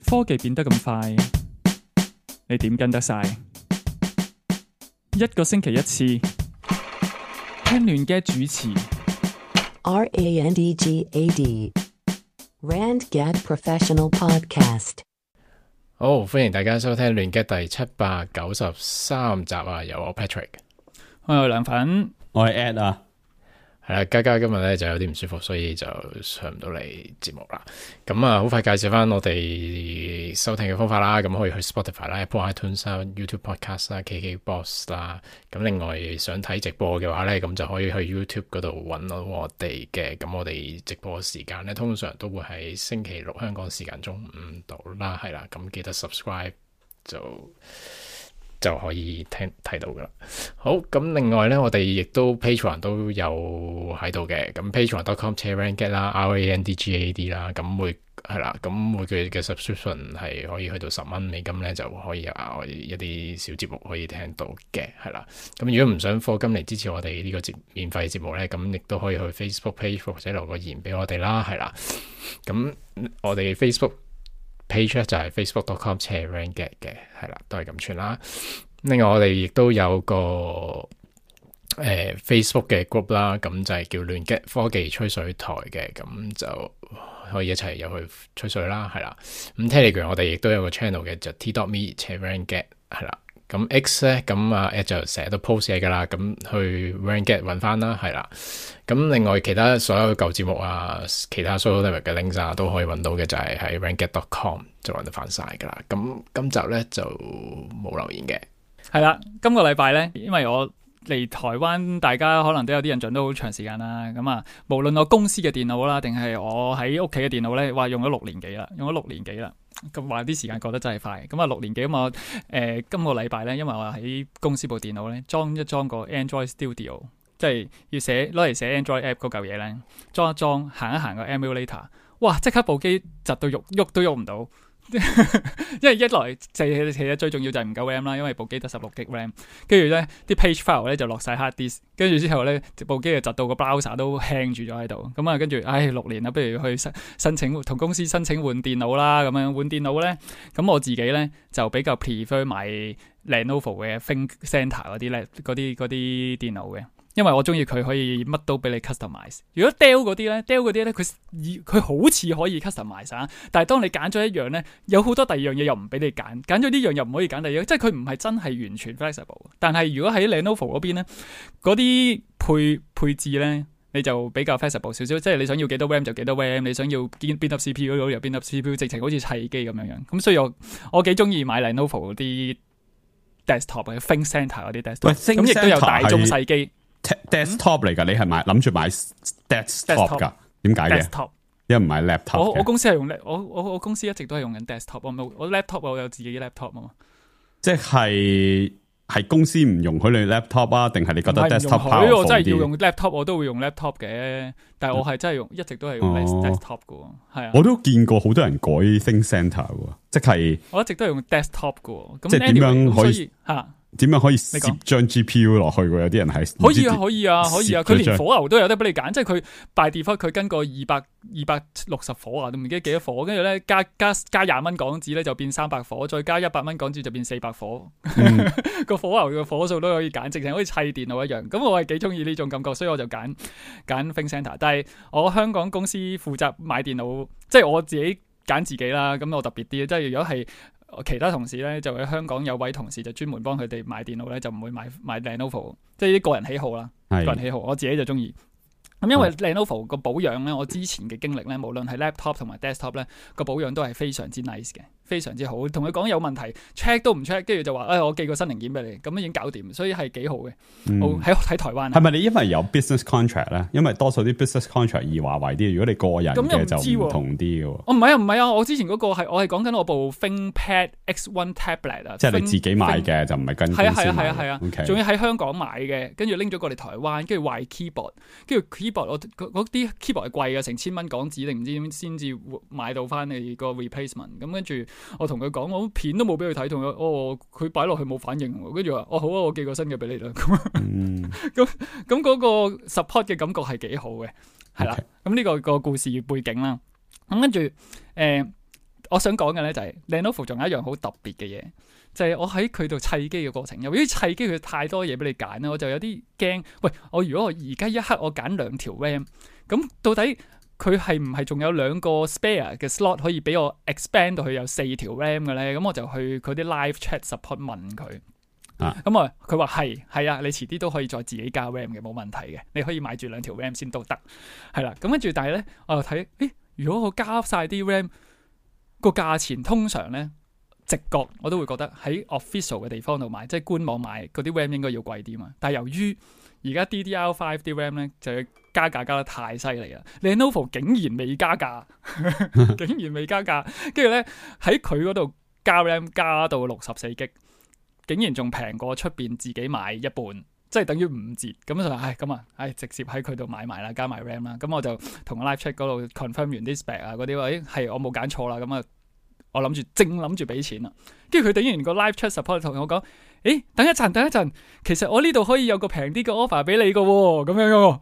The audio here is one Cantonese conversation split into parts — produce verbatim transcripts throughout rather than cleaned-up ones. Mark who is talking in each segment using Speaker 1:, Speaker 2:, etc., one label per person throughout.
Speaker 1: 科技變得咁快，你點跟得晒？一個星期一次，聽亂嘅主持。
Speaker 2: R A N D G A D Randgad Professional Podcast。
Speaker 3: 好，歡迎大家收聽亂嘅第七百九十三集啊！由我 Patrick，
Speaker 1: 我係梁粉，
Speaker 4: 我係 Ed 啊。
Speaker 3: 係啦，嘉嘉今日咧就有啲唔舒服，所以就上唔到嚟節目啦。咁啊，好快介紹翻我哋收聽嘅方法啦。咁可以去 Spotify 啦、Apple iTunes 啦、YouTube Podcast 啦、K K Box 啦。咁另外想睇直播嘅話咧，咁就可以去 YouTube 嗰度揾到我哋嘅。咁我哋直播時間咧，通常都會喺星期六香港時間中午度啦，係啦。咁記得 subscribe 就。就可以聽睇到噶啦。好，咁另外咧，我哋亦都 Patreon 都有喺度嘅。咁 Patreon dot com slash randgad 啦 ，R A N D G A D 啦。咁每係啦，咁每個月嘅 subscription 係可以去到十蚊美金咧，就可以有額外一啲小節目可以聽到嘅，係啦。咁如果唔想課金嚟支持我哋呢個節免費節目咧，咁亦都可以去 Facebook page 或者留個言俾我哋啦，係啦。咁我哋 Facebook page 就係 facebook dot com slash randgad 嘅，係啦，都係咁串啦。另外我哋亦都有個誒、呃、Facebook 嘅 group 啦，咁就係叫亂 get 科技吹水台嘅，咁就可以一齊入去吹水啦，係啦。咁 Telegram 我哋亦都有個 channel 嘅，就 t dot me slash randgad 係啦。咁 X 咧，咁啊 Ed 就成日都 post 嘢噶啦，咁去 randgad 揾翻啦，係啦。咁另外其他所有舊節目啊，其他 social network 嘅 links 啊，都可以揾到嘅，就係喺 randgad dot com 就揾得翻晒噶啦。咁今集咧就冇留言嘅。
Speaker 1: 係啦，今個禮拜咧，因為我嚟台灣，大家可能都有啲印象都好長時間啦。咁啊，無論我公司嘅電腦啦，定係我喺屋企嘅電腦咧，話用咗六年幾啦，用咗六年幾啦。咁話啲時間過得真係快。咁啊，六年幾咁我誒今個禮拜咧，因為我喺公司部電腦咧裝一裝個 Android Studio， 即係要寫攞嚟寫 Android app 嗰嚿嘢咧，裝一裝行一行個 emulator， 哇！即刻部機窒到喐喐都喐唔到。因為一來就係其實最重要就係唔夠 RAM 啦，因為部機得十六 G RAM， 跟住咧啲 page file 咧就落晒 hard disk， 跟住之後咧部機就窒到個 browser 都 hang 住咗喺度，咁啊跟住唉六年啦，不如去申申請同公司申請換電腦啦，咁樣換電腦咧，咁我自己咧就比較 prefer 買 Lenovo 嘅 ThinkCentre 嗰啲咧嗰啲嗰啲電腦嘅。因為我中意佢可以乜都俾你 customize。如果 Dell 嗰啲咧 ，Dell 嗰啲咧，佢佢好似可以 customize， 但係當你揀咗一樣咧，有好多第二樣嘢又唔俾你揀，揀咗呢樣又唔可以揀第二樣，即係佢唔係真係完全 flexible。但係如果喺 Lenovo 嗰邊咧，嗰啲配配置咧，你就比較 flexible 少少，即係你想要幾多 RAM 就幾多 RAM， 你想要邊邊粒 C P U 嗰度又邊粒 C P U， 直情好似砌機咁樣樣。咁所以我我幾中意買 Lenovo 嗰啲 desktop 嘅 ThinkCentre 嗰啲 desktop， 咁亦都有大中細機。
Speaker 4: desktop 嚟噶，你係買諗住買 desktop 噶？點解嘅？因為唔係 laptop。
Speaker 1: 我我公司係用我我我公司一直都係用緊 desktop， 我冇我 laptop 我有自己 laptop 啊嘛。即
Speaker 4: 係係公司唔容許你 laptop 啊？定係你覺得 desktop
Speaker 1: 唔係，我真係要用 laptop， 我都會用 laptop 嘅。但係我係真係用，一直都係用 desktop 噶。係啊，
Speaker 4: 我都見過好多人改 ThinkCentre 嘅，即係
Speaker 1: 我一直都係用 desktop 噶。
Speaker 4: 即係點樣可以
Speaker 1: 吓？
Speaker 4: 點樣可以攝張 G P U 落去？有啲人係
Speaker 1: 可以啊，可以啊，可以啊！佢連火牛都有得俾你揀，即係佢 by default 佢跟個二百二百六十火啊，都唔記得幾多火，跟住咧加加加廿蚊港紙咧就變三百火，再加一百蚊港紙就變四百火。個、嗯、火牛嘅火數都可以揀，直情好似砌電腦一樣。咁我係幾中意呢種感覺，所以我就揀揀 ThinkCentre。但係我香港公司負責買電腦，即係我自己揀自己啦。咁我特別啲，即係如果係。其他同事咧就喺香港有位同事就專門幫佢哋買電腦咧，就唔會買買 Lenovo， 即係啲個人喜好啦，個人喜好，我自己就中意。咁因為 Lenovo 個保養咧，我之前嘅經歷咧，無論係 laptop 同埋 desktop 咧，個保養都係非常之 nice 嘅，非常之好。同佢講有問題 check 都唔 check， 跟住就話誒、哎、我寄個新零件俾你，咁已經搞掂，所以係幾好嘅。喺喺、嗯、台灣
Speaker 4: 係咪你因為有 business contract 咧？因為多數啲 business contract 易華為啲，如果你個人嘅就唔同啲嘅。
Speaker 1: 我唔係啊，唔係啊，我之前嗰個係我係講緊我部 ThinkPad X One Tablet 啊，
Speaker 4: 即係你自己買嘅，就唔係跟公司買。
Speaker 1: 係啊係啊係啊，仲、
Speaker 4: okay.
Speaker 1: 要喺香港買嘅，跟住拎咗過嚟台灣，跟住壞 keyboard， 跟住 keyboard 我嗰啲 keyboard 係貴嘅，成千蚊港紙定唔知點先至買到翻你個 replacement。咁跟住我同佢講，我片都冇俾佢睇，同佢哦佢擺落去冇反應，跟住話哦好啊，我寄個新嘅俾你啦。咁咁咁嗰個 support 嘅感覺係幾好嘅，係啦。咁呢、okay. 個個故事背景啦，咁跟住誒我想講嘅咧就係 Lenovo 仲有一樣好特別嘅嘢，就係、是、我喺佢度砌機嘅過程，由於砌機佢太多嘢俾你揀啦，我就有啲驚。喂，我如果我而家一刻我揀兩條 RAM， 咁到底佢係唔係仲有兩個 spare 嘅 slot 可以俾我 expand 到去有四條 RAM 嘅咧？咁我就去佢啲 live chat support 問佢。啊，咁啊，佢話係係啊，你遲啲都可以再自己加 RAM 嘅，冇問題嘅，你可以買住兩條 RAM 先都得，係啦。咁跟住，但係咧，我又睇，誒，如果我加晒啲 RAM，個價錢通常咧，直覺我都會覺得喺 official 嘅地方度買，即係官網買嗰啲 RAM 應該要貴啲嘛。但係由於而家 D D R 五啲 RAM 咧就要加價加得太犀利啦 ，Lenovo 竟然未加價，竟然未加價，跟住咧喺佢嗰度加 RAM 加到六十四 G。竟然仲平過出邊自己買一半，即係等於五折。咁就唉咁啊，唉直接喺佢度買埋啦，加埋 RAM 啦。咁我就同 live chat 嗰度 confirm 完啲 spec 啊嗰啲，誒係我冇揀錯啦。咁啊，我諗住正諗住俾錢啦。跟住佢突然個 live chat support 同我講：誒等一陣，等一陣，其實我呢度可以有個平啲嘅 offer 俾你嘅喎。咁樣嘅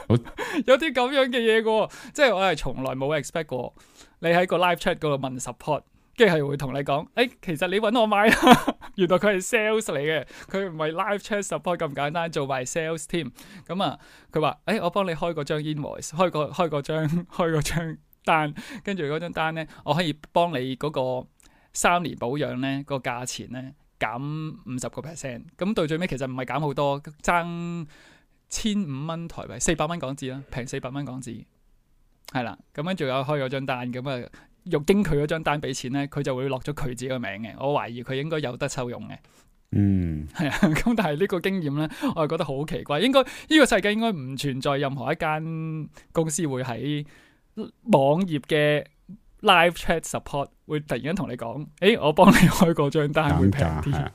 Speaker 1: 喎，有啲咁樣嘅嘢嘅喎，即係我係從來冇 expect 過你喺個 live chat 嗰度問 support。跟住係會同你講，誒、欸，其實你揾我買啦，原來佢係 sales 嚟嘅，佢唔係 live chat support 咁簡單，做埋 sales 添。咁啊，佢話，誒、欸，我幫你開嗰張 invoice，開個開嗰張開嗰張單，跟住嗰張單咧，我可以幫你嗰個三年保養咧個價錢咧減五十個 percent。咁到最尾其實唔係減好多，爭千五蚊台幣，四百蚊港紙啦，平四百蚊港紙，係啦。咁跟住有開嗰張單，咁啊。用經佢嗰張單俾錢咧，佢就會落咗佢自己個名嘅。我懷疑佢應該有得收用嘅。嗯，係啊。咁但係呢個經驗咧，我係覺得好奇怪。應該呢、呢個世界應該唔存在任何一間公司會喺網頁嘅 live chat support 會突然間同你講：誒、欸，我幫你開嗰張單會平啲。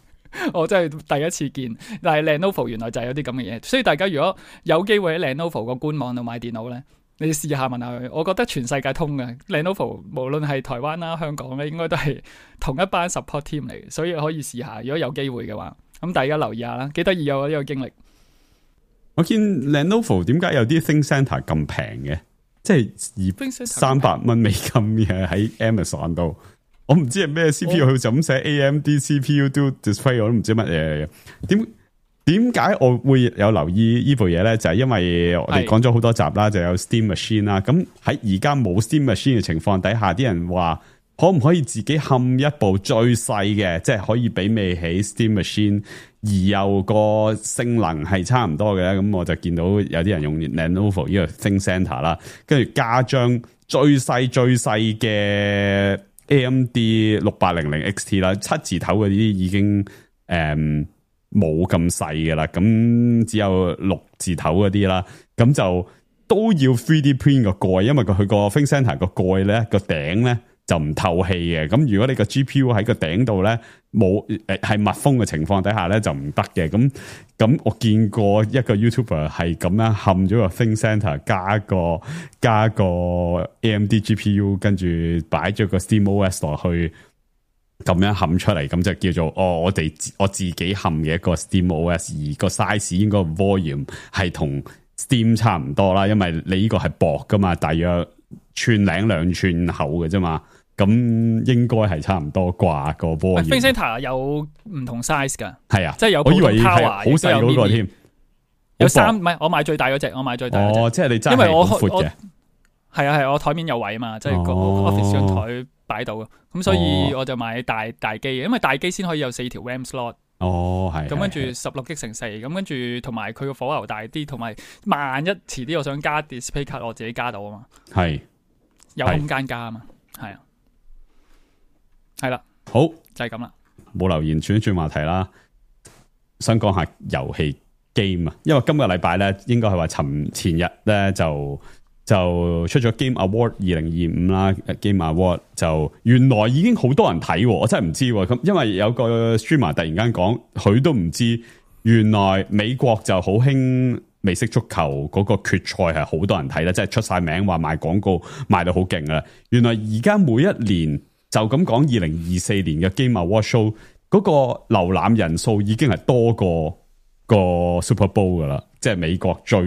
Speaker 1: 我真係第一次見。但係 Lenovo 原來就係有啲咁嘅嘢，所以大家如果有機會喺 Lenovo 個官網度買電腦咧。你試下問下佢，我覺得全世界通嘅 Lenovo 無論係台灣啦、香港咧，應該都係同一班 support team 嚟嘅，所以可以試下。如果有機會嘅話，咁大家留意下啦，幾得意有呢個經歷。
Speaker 4: 我見 Lenovo 點解有啲 ThinkCentre 咁平嘅，即係二三百蚊美金嘅喺 Amazon 度，我唔知係咩 C P U，佢就咁寫 A M D C P U Dual Display， 我都唔知乜嘢點。點解我會有留意呢部嘢咧？就係、是、因為我哋講咗好多集啦，就有 Steam Machine 啦。咁喺而家冇 Steam Machine 嘅情況底下，啲人話可唔可以自己冚一部最細嘅，即係可以媲美起 Steam Machine，而又個性能係差唔多嘅咧？咁我就見到有啲人用 Lenovo 呢個 ThinkCentre 啦，跟住加張最細最細嘅 A M D 六八零零 X T 啦，七字頭嗰啲已經誒。嗯冇咁細嘅啦，咁只有六字頭嗰啲啦，咁就都要 three D print 個蓋，因為佢佢個 ThinkCentre 個蓋咧個頂咧就唔透氣嘅，咁如果你個 G P U 喺個頂度咧冇誒係密封嘅情況底下咧就唔得嘅，咁咁我見過一個 YouTuber 係咁樣冚咗個 ThinkCentre 加個加個 A M D G P U， 跟住擺咗個 SteamOS 落去。咁樣冚出嚟，咁就叫做哦，我哋我自己冚嘅一個 SteamOS， 而個 size 應該 volume 係同 Steam 差唔多啦，因為你呢個係薄噶嘛，大約寸零兩寸厚嘅啫嘛，咁應該係差唔多啩個 volume。ThinkCentre
Speaker 1: 有唔同 size 噶，
Speaker 4: 係啊，
Speaker 1: 即係有
Speaker 4: 我以為係
Speaker 1: Power，
Speaker 4: 好細嗰個添，
Speaker 1: 有三唔係我買最大嗰隻，我買最大嗰隻，
Speaker 4: 哦，即係你真係好闊嘅，
Speaker 1: 係啊係，我台面有位啊嘛，即係個 office 張台。擺到嘅，咁所以我就買大大機嘅，因為大機先可以有四條 RAM slot。
Speaker 4: 哦，係。咁
Speaker 1: 跟住十六 G 乘四，咁跟住同埋佢個火牛大啲，同埋萬一遲啲我想加 display card，我自己加到啊嘛。係，有空間加啊嘛。係啊，係啦，
Speaker 4: 好
Speaker 1: 就係咁啦。
Speaker 4: 冇留言，轉一轉話題啦。想講下遊戲 game 啊，因為今個禮拜咧，應該係話尋前日咧就。就出咗 Game Award 二零二五啦 ，Game Award 就原來已經好多人睇，我真係唔知咁，因為有個 streamer 突然間講，佢都唔知原來美國就好興美式足球嗰個決賽係好多人睇啦，即係出晒名話賣廣告賣到好勁啦。原來而家每一年就咁講，二零二四年嘅 Game Award show 嗰個瀏覽人數已經係多過個 Super Bowl 噶啦，即係美國最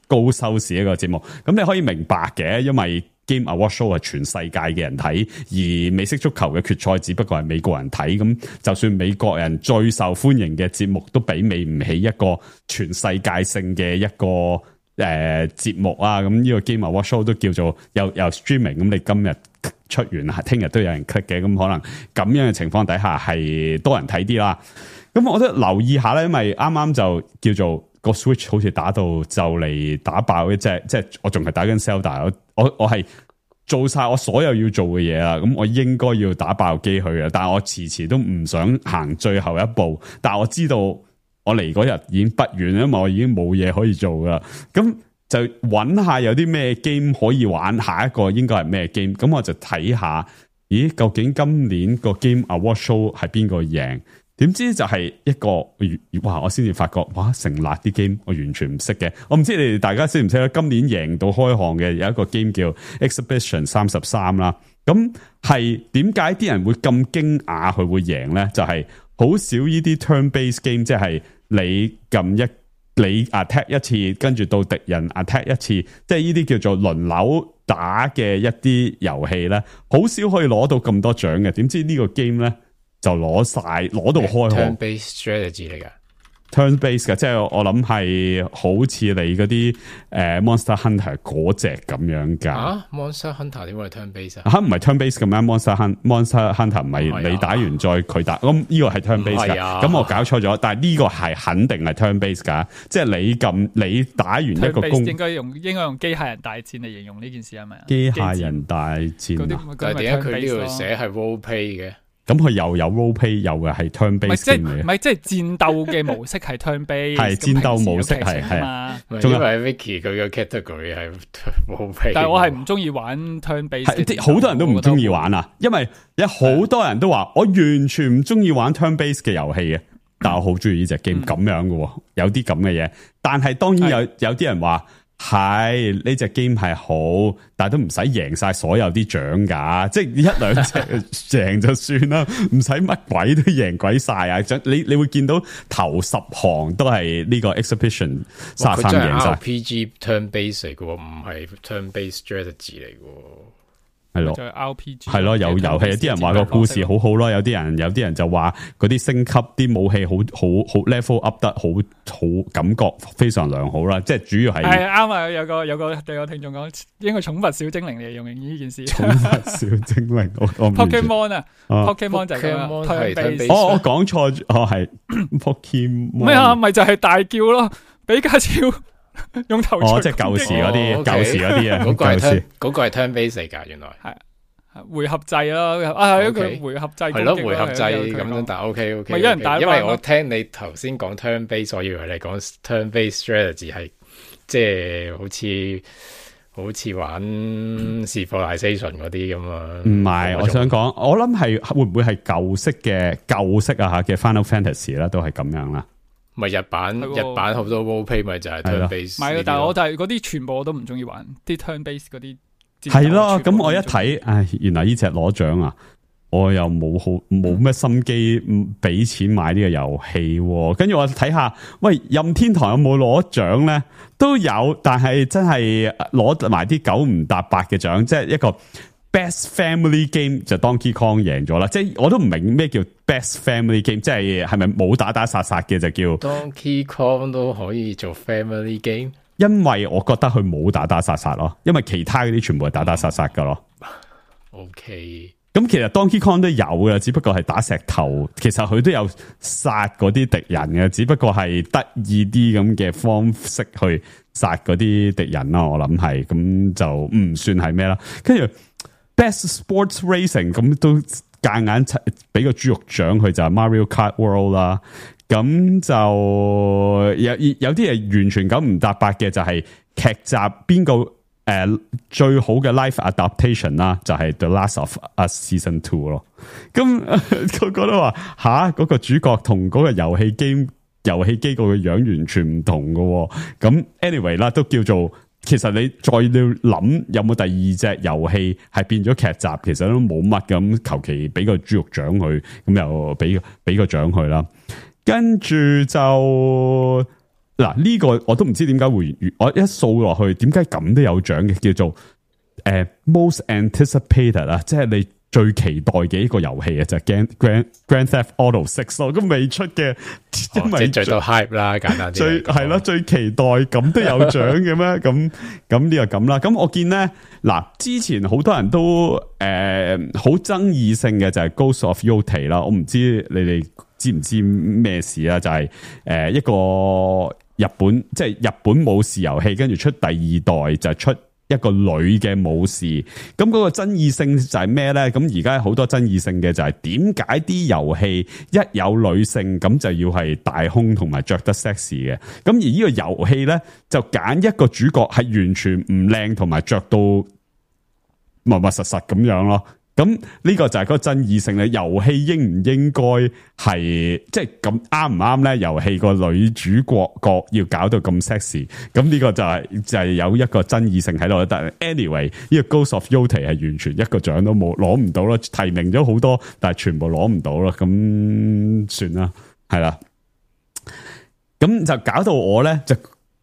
Speaker 4: 高收視一個節目，咁你可以明白嘅，因為 Game Award Show 係全世界嘅人睇，而美式足球嘅決賽只不過係美國人睇，咁就算美國人最受歡迎嘅節目都媲美唔起一個全世界性嘅一個誒、呃、節目啊！咁呢個 Game Award Show 都叫做有有 streaming，咁你今日出完，聽日都有人 click 嘅，咁可能咁樣嘅情況底下係多人睇啲啦。咁我覺得留意下咧，因為啱啱就叫做個 Switch 好似打到就嚟打爆一隻，即係我仲係打緊 Zelda，我我我係做晒我所有要做嘅嘢啦，咁我應該要打爆機去嘅，但係我遲遲都唔想行最後一步，但係我知道我嚟嗰日已經不遠，因為我已經冇嘢可以做噶啦，咁就揾下有啲咩 game 可以玩，下一個應該係咩 game， 咁我就睇下，咦，究竟今年個 Game Award Show 係邊個贏？點知就係一個，哇！我先至發覺，哇！成辣啲 game 我完全唔識嘅，我唔知你哋大家識唔識咧？今年贏到開行嘅有一個 game 叫 Exhibition 三十三啦，咁係點解啲人會咁驚訝佢會贏咧？就係、是、好少呢啲 turn-based game，即係你撳一你 attack 一次，跟住到敵人 attack 一次，即係呢啲叫做輪流打嘅一啲遊戲咧，好少可以攞到咁多獎嘅。點知呢個 game 咧？就攞晒，攞到開行。
Speaker 3: turn-based strategy 嚟噶
Speaker 4: ，turn-based 嘅，即係我諗係好似你嗰啲誒 Monster Hunter 嗰隻咁樣噶。
Speaker 3: 啊 ，Monster Hunter 點會係 turn-based 啊？
Speaker 4: 吓唔係 turn-based 咁樣 ，Monster Hunter Monster Hunter 唔係你打完再佢打，咁呢個係 turn-based 噶。咁、啊、我搞錯咗，但係呢個係肯定係 turn-based 噶，即係你撳你打完一個攻，
Speaker 1: 應該用應該用機械人大戰嚟形容呢件事係咪啊？
Speaker 4: 機械人大戰，
Speaker 3: 但係點解佢呢度寫係 role play 嘅？
Speaker 4: 咁佢又有 role play，又嘅係 turn base 嘅，
Speaker 1: 唔係即係戰鬥嘅模式係 turn base，
Speaker 4: 係戰鬥模式係係啊。
Speaker 3: 仲因為 Vicky 佢嘅 category 係 role play，
Speaker 1: 但係我係唔中意玩 turn base，
Speaker 4: 好多人都唔中意玩啊，因為有好多人都話我完全唔中意玩 turn base 嘅遊戲嘅，但係我好中意呢隻 game 咁樣嘅，有啲咁嘅嘢。但係當然有有啲人話。係呢隻 game 係好，但係都唔使贏晒所有啲獎噶，即係一兩隻贏就算啦，唔使乜鬼都贏鬼晒啊！你你會見到頭十行都係呢個 exhibition 三十三贏晒。
Speaker 3: R P G turn base 嚟嘅，唔係 turn base strategy 嚟嘅。
Speaker 4: 係咯，R
Speaker 1: P G
Speaker 4: 係咯，有遊戲，有啲人話個故事好好咯，有啲人有啲人就話嗰啲升級啲武器好好好 level up 得好好，感覺非常良好啦。即係主要係
Speaker 1: 係啱啊！有個有個有個聽眾講，應該寵物小精靈嚟用呢件事。
Speaker 4: 寵物小精靈，我我
Speaker 1: Pokemon 啊 ，Pokemon 就係咁樣。
Speaker 4: 哦，我講錯，哦係 Pokemon
Speaker 1: 咩啊？咪就係大叫咯，比卡超。用頭
Speaker 4: 哦，即係舊時嗰啲，舊時嗰啲啊，
Speaker 3: 嗰個係 turn，嗰個係 turn base 嚟噶，原來
Speaker 1: 係回合制咯，啊係一個回合制，
Speaker 3: 係咯回合制咁樣，但係 OK OK，
Speaker 1: 咪有人打，
Speaker 3: 因為我聽你頭先講 turn base，我以為你講 turn base strategy 係即係好似好似玩 Civilization 嗰啲咁啊，
Speaker 4: 唔係，我想講，我諗係會唔會係舊式嘅舊式啊吓嘅 Final Fantasy 啦，都係咁樣啦。
Speaker 3: 咪日版日版好多 role play 咪就係 turn base，
Speaker 1: 唔係，但係我就係嗰啲全部我都唔中意玩啲 turn base 嗰啲。
Speaker 4: 係咯，咁我一睇，唉，原來呢隻攞獎啊！我又冇好冇咩心機俾錢買呢個遊戲，跟住我睇下，喂，任天堂有冇攞獎咧？都有，但係真係攞埋啲九唔搭八嘅獎，即係一個。Best Family Game 就 Donkey Kong 贏咗啦，即係我都唔明咩叫 Best Family Game， 即係係咪冇打打殺殺嘅就叫
Speaker 3: Donkey Kong 都可以做 Family Game？
Speaker 4: 因為我覺得佢冇打打殺殺咯，因為其他嗰啲全部係打打殺殺噶咯。
Speaker 3: OK，
Speaker 4: 咁其實 Donkey Kong 都有嘅，只不過係打石頭，其實佢都有殺嗰啲敵人嘅，只不過係得意啲咁嘅方式去殺嗰啲敵人啦。我諗係咁就唔算係咩啦，跟住。Best Sports Racing 咁都夾硬俾個豬肉獎佢就係 Mario Kart World 啦，咁就有有啲係完全九唔搭八嘅，就係劇集邊個誒、呃、最好嘅 live adaptation 啦，就係 The Last of Us Season Two 咯。咁個個都話吓嗰個主角同嗰個遊戲機遊戲機個嘅樣完全唔同嘅，咁 anyway 啦都叫做。其實你再要諗有冇第二隻遊戲係變咗劇集，其實都冇乜咁，求其俾個豬肉獎佢，咁又俾俾個獎佢啦。跟住就嗱呢個我都唔知點解會，我一掃落去點解咁都有獎嘅，叫做誒 most anticipated 啊，即係你最期待嘅一個遊戲啊，就係 Grand Grand Theft Auto Six 咯，咁未出嘅，因為
Speaker 3: 即係最到 hype 啦，簡單啲
Speaker 4: 最係咯，最期待咁都有獎嘅咩？咁咁呢個咁啦。咁我見咧嗱，之前好多人都誒好爭議性嘅就係 Ghost of Yotei 啦，我唔知你哋知唔知咩事啊？就係、是、誒一個日本即係、就是、日本武士遊戲，跟住出第二代就出一個女嘅武士，咁嗰個爭議性就係咩咧？咁而家好多爭議性嘅就係點解啲遊戲一有女性咁就要係大胸同埋着得 sexy 嘅？咁而呢個遊戲咧就揀一個主角係完全唔靚同埋着到密密實實咁樣咯。咁呢個就係嗰個爭議性咧，遊戲應唔應該係即係咁啱唔啱咧？遊戲個女主角角要搞到咁 sexy， 咁呢個就係、是、就係、是、有一個爭議性喺度。但係 anyway，呢個 Ghost of Yotei 係完全一個獎都冇攞唔到咯，提名咗好多，但係全部攞唔到咯。咁算啦，係啦。咁就搞到我咧，就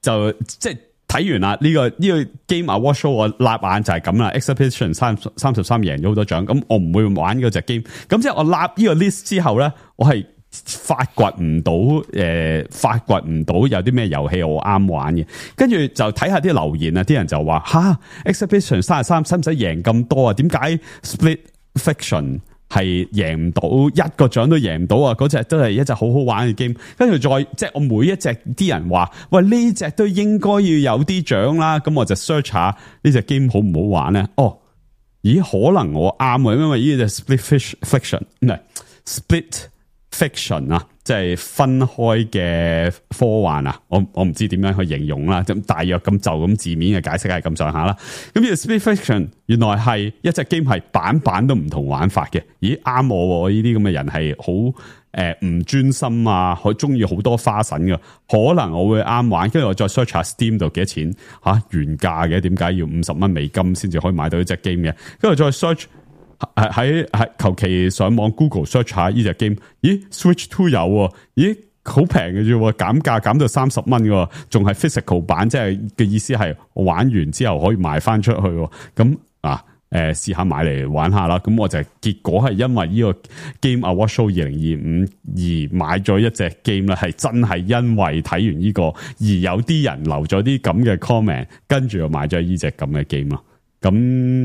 Speaker 4: 就即係。睇完啦，呢、這個呢、這個 Game Award Show 我立眼就係咁啦 ，Exhibition 三三十三贏咗好多獎，咁我唔會玩嗰隻 game。咁即係我立呢個 list 之後咧，我係發掘唔到誒，發掘唔到有啲咩遊戲我啱玩嘅。跟住就睇下啲留言啊，啲人就話吓 Exhibition 三十三使唔使贏咁多啊？點解 Split Fiction？係贏唔到一個獎都贏唔到啊！嗰隻都係一隻好好玩嘅 game，跟住再即係我每一隻啲人話喂呢隻都應該要有啲獎啦，咁我就 search 下呢隻 game 好唔好玩咧？哦，咦可能我啱啊，因為呢隻 split fiction 唔係 split fiction 啊，即係分開嘅科幻啊，我我唔知點樣去形容啦，咁大約咁就咁字面嘅解釋係咁上下啦。咁呢個 split fiction 原來係一隻 game 係版版都唔同玩法嘅，咦啱我，我呢啲咁嘅人係好誒唔專心啊，好中意好多花神嘅，可能我會啱玩，跟住我再 search 下 Steam 度幾多錢吓、啊、原價嘅，點解要五十蚊美金先至可以買到呢隻 game 嘅？跟住再 search。喺喺求其上網 Google search 下呢隻 game， 咦 Switch Two 有喎，咦好平嘅啫，減價減到三十蚊嘅，仲係 physical 版，即係嘅意思係我玩完之後可以賣翻出去，咁啊誒試下買嚟玩下啦。咁我就結果係因為呢個 Game Award Show 二零二五而買咗一隻 game 啦，係真係因為睇完呢個而有啲人留咗啲咁嘅 comment， 跟住又買咗呢隻咁嘅 game 咯。咁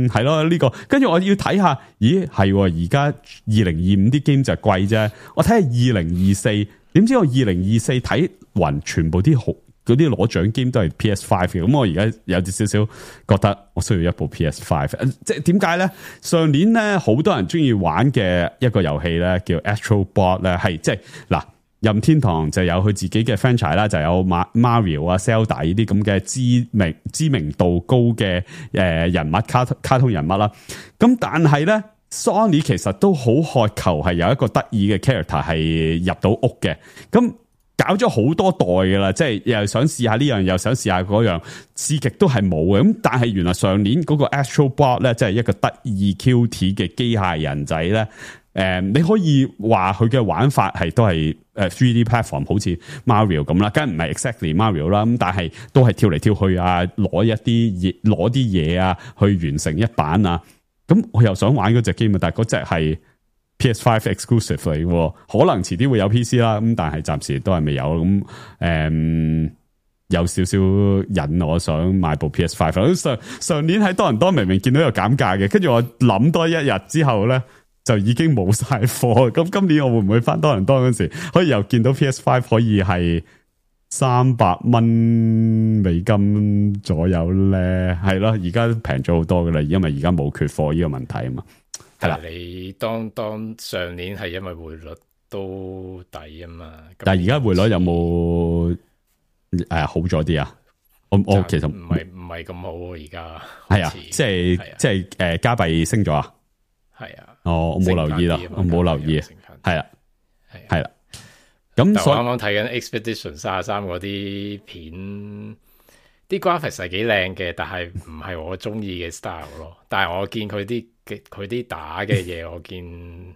Speaker 4: 係咯，呢、這個跟住我要睇下，咦係而家二零二五啲 game 就貴啫。我睇下二零二四，點知我二零二四睇勻全部啲好嗰啲攞獎 game 都係 P S Five 嘅。咁我而家有啲少少覺得我需要一部 P S Five。即係點解咧？上年咧好多人中意玩嘅一個遊戲咧，叫 Astro Bot 咧，係即係嗱。任天堂就有佢自己嘅 franchise 啦，就有 Mario 啊、Zelda 呢啲咁嘅知名知名度高嘅誒人物卡卡通人物啦。咁但係咧 Sony 其實都好渴求係有一個得意嘅 character 係入到屋嘅。咁搞咗好多代噶啦，即係又想試下呢樣，又想試下嗰樣，試極都係冇嘅。咁但係原來上年嗰個 Astro Bot 咧，即係一個得意 cute 嘅機械人仔咧。誒、嗯，你可以話佢嘅玩法係都係誒 three D platform， 好似 Mario 咁啦，梗係唔係 exactly Mario 啦，咁但係都係跳嚟跳去啊，攞一啲嘢，攞啲嘢啊，去完成一版啊。咁我又想玩嗰隻 game，但係嗰隻係 P S Five exclusive 嚟嘅，可能遲啲會有 P C 啦。咁但係暫時都係未有。咁誒、嗯，有少少引我想買部 P S Five。上上年喺多倫多明明見到有減價嘅，跟住我諗多一日之後咧，就已經冇晒貨，咁今年我會唔會翻多倫多嗰時，可以又見到 P S Five 可以係三百蚊美金左右咧？係咯，而家平咗好多噶啦，因為而家冇缺貨呢個問題啊嘛。係啦，
Speaker 3: 你當當上年係因為匯率都抵啊嘛，
Speaker 4: 但係而家匯率有冇誒、呃、好咗啲啊？我我其實
Speaker 3: 唔係唔係咁好，而家
Speaker 4: 係啊，即係即係誒加幣升咗啊？
Speaker 3: 係啊。
Speaker 4: 哦，我冇留意啦，我冇留意，係啦，係啦。咁所以
Speaker 3: 啱啱睇緊 Expedition 三十三嗰啲片，啲 graphics 係幾靚嘅，但係唔係我中意嘅 style 咯。但係我見佢啲佢啲打嘅嘢，我見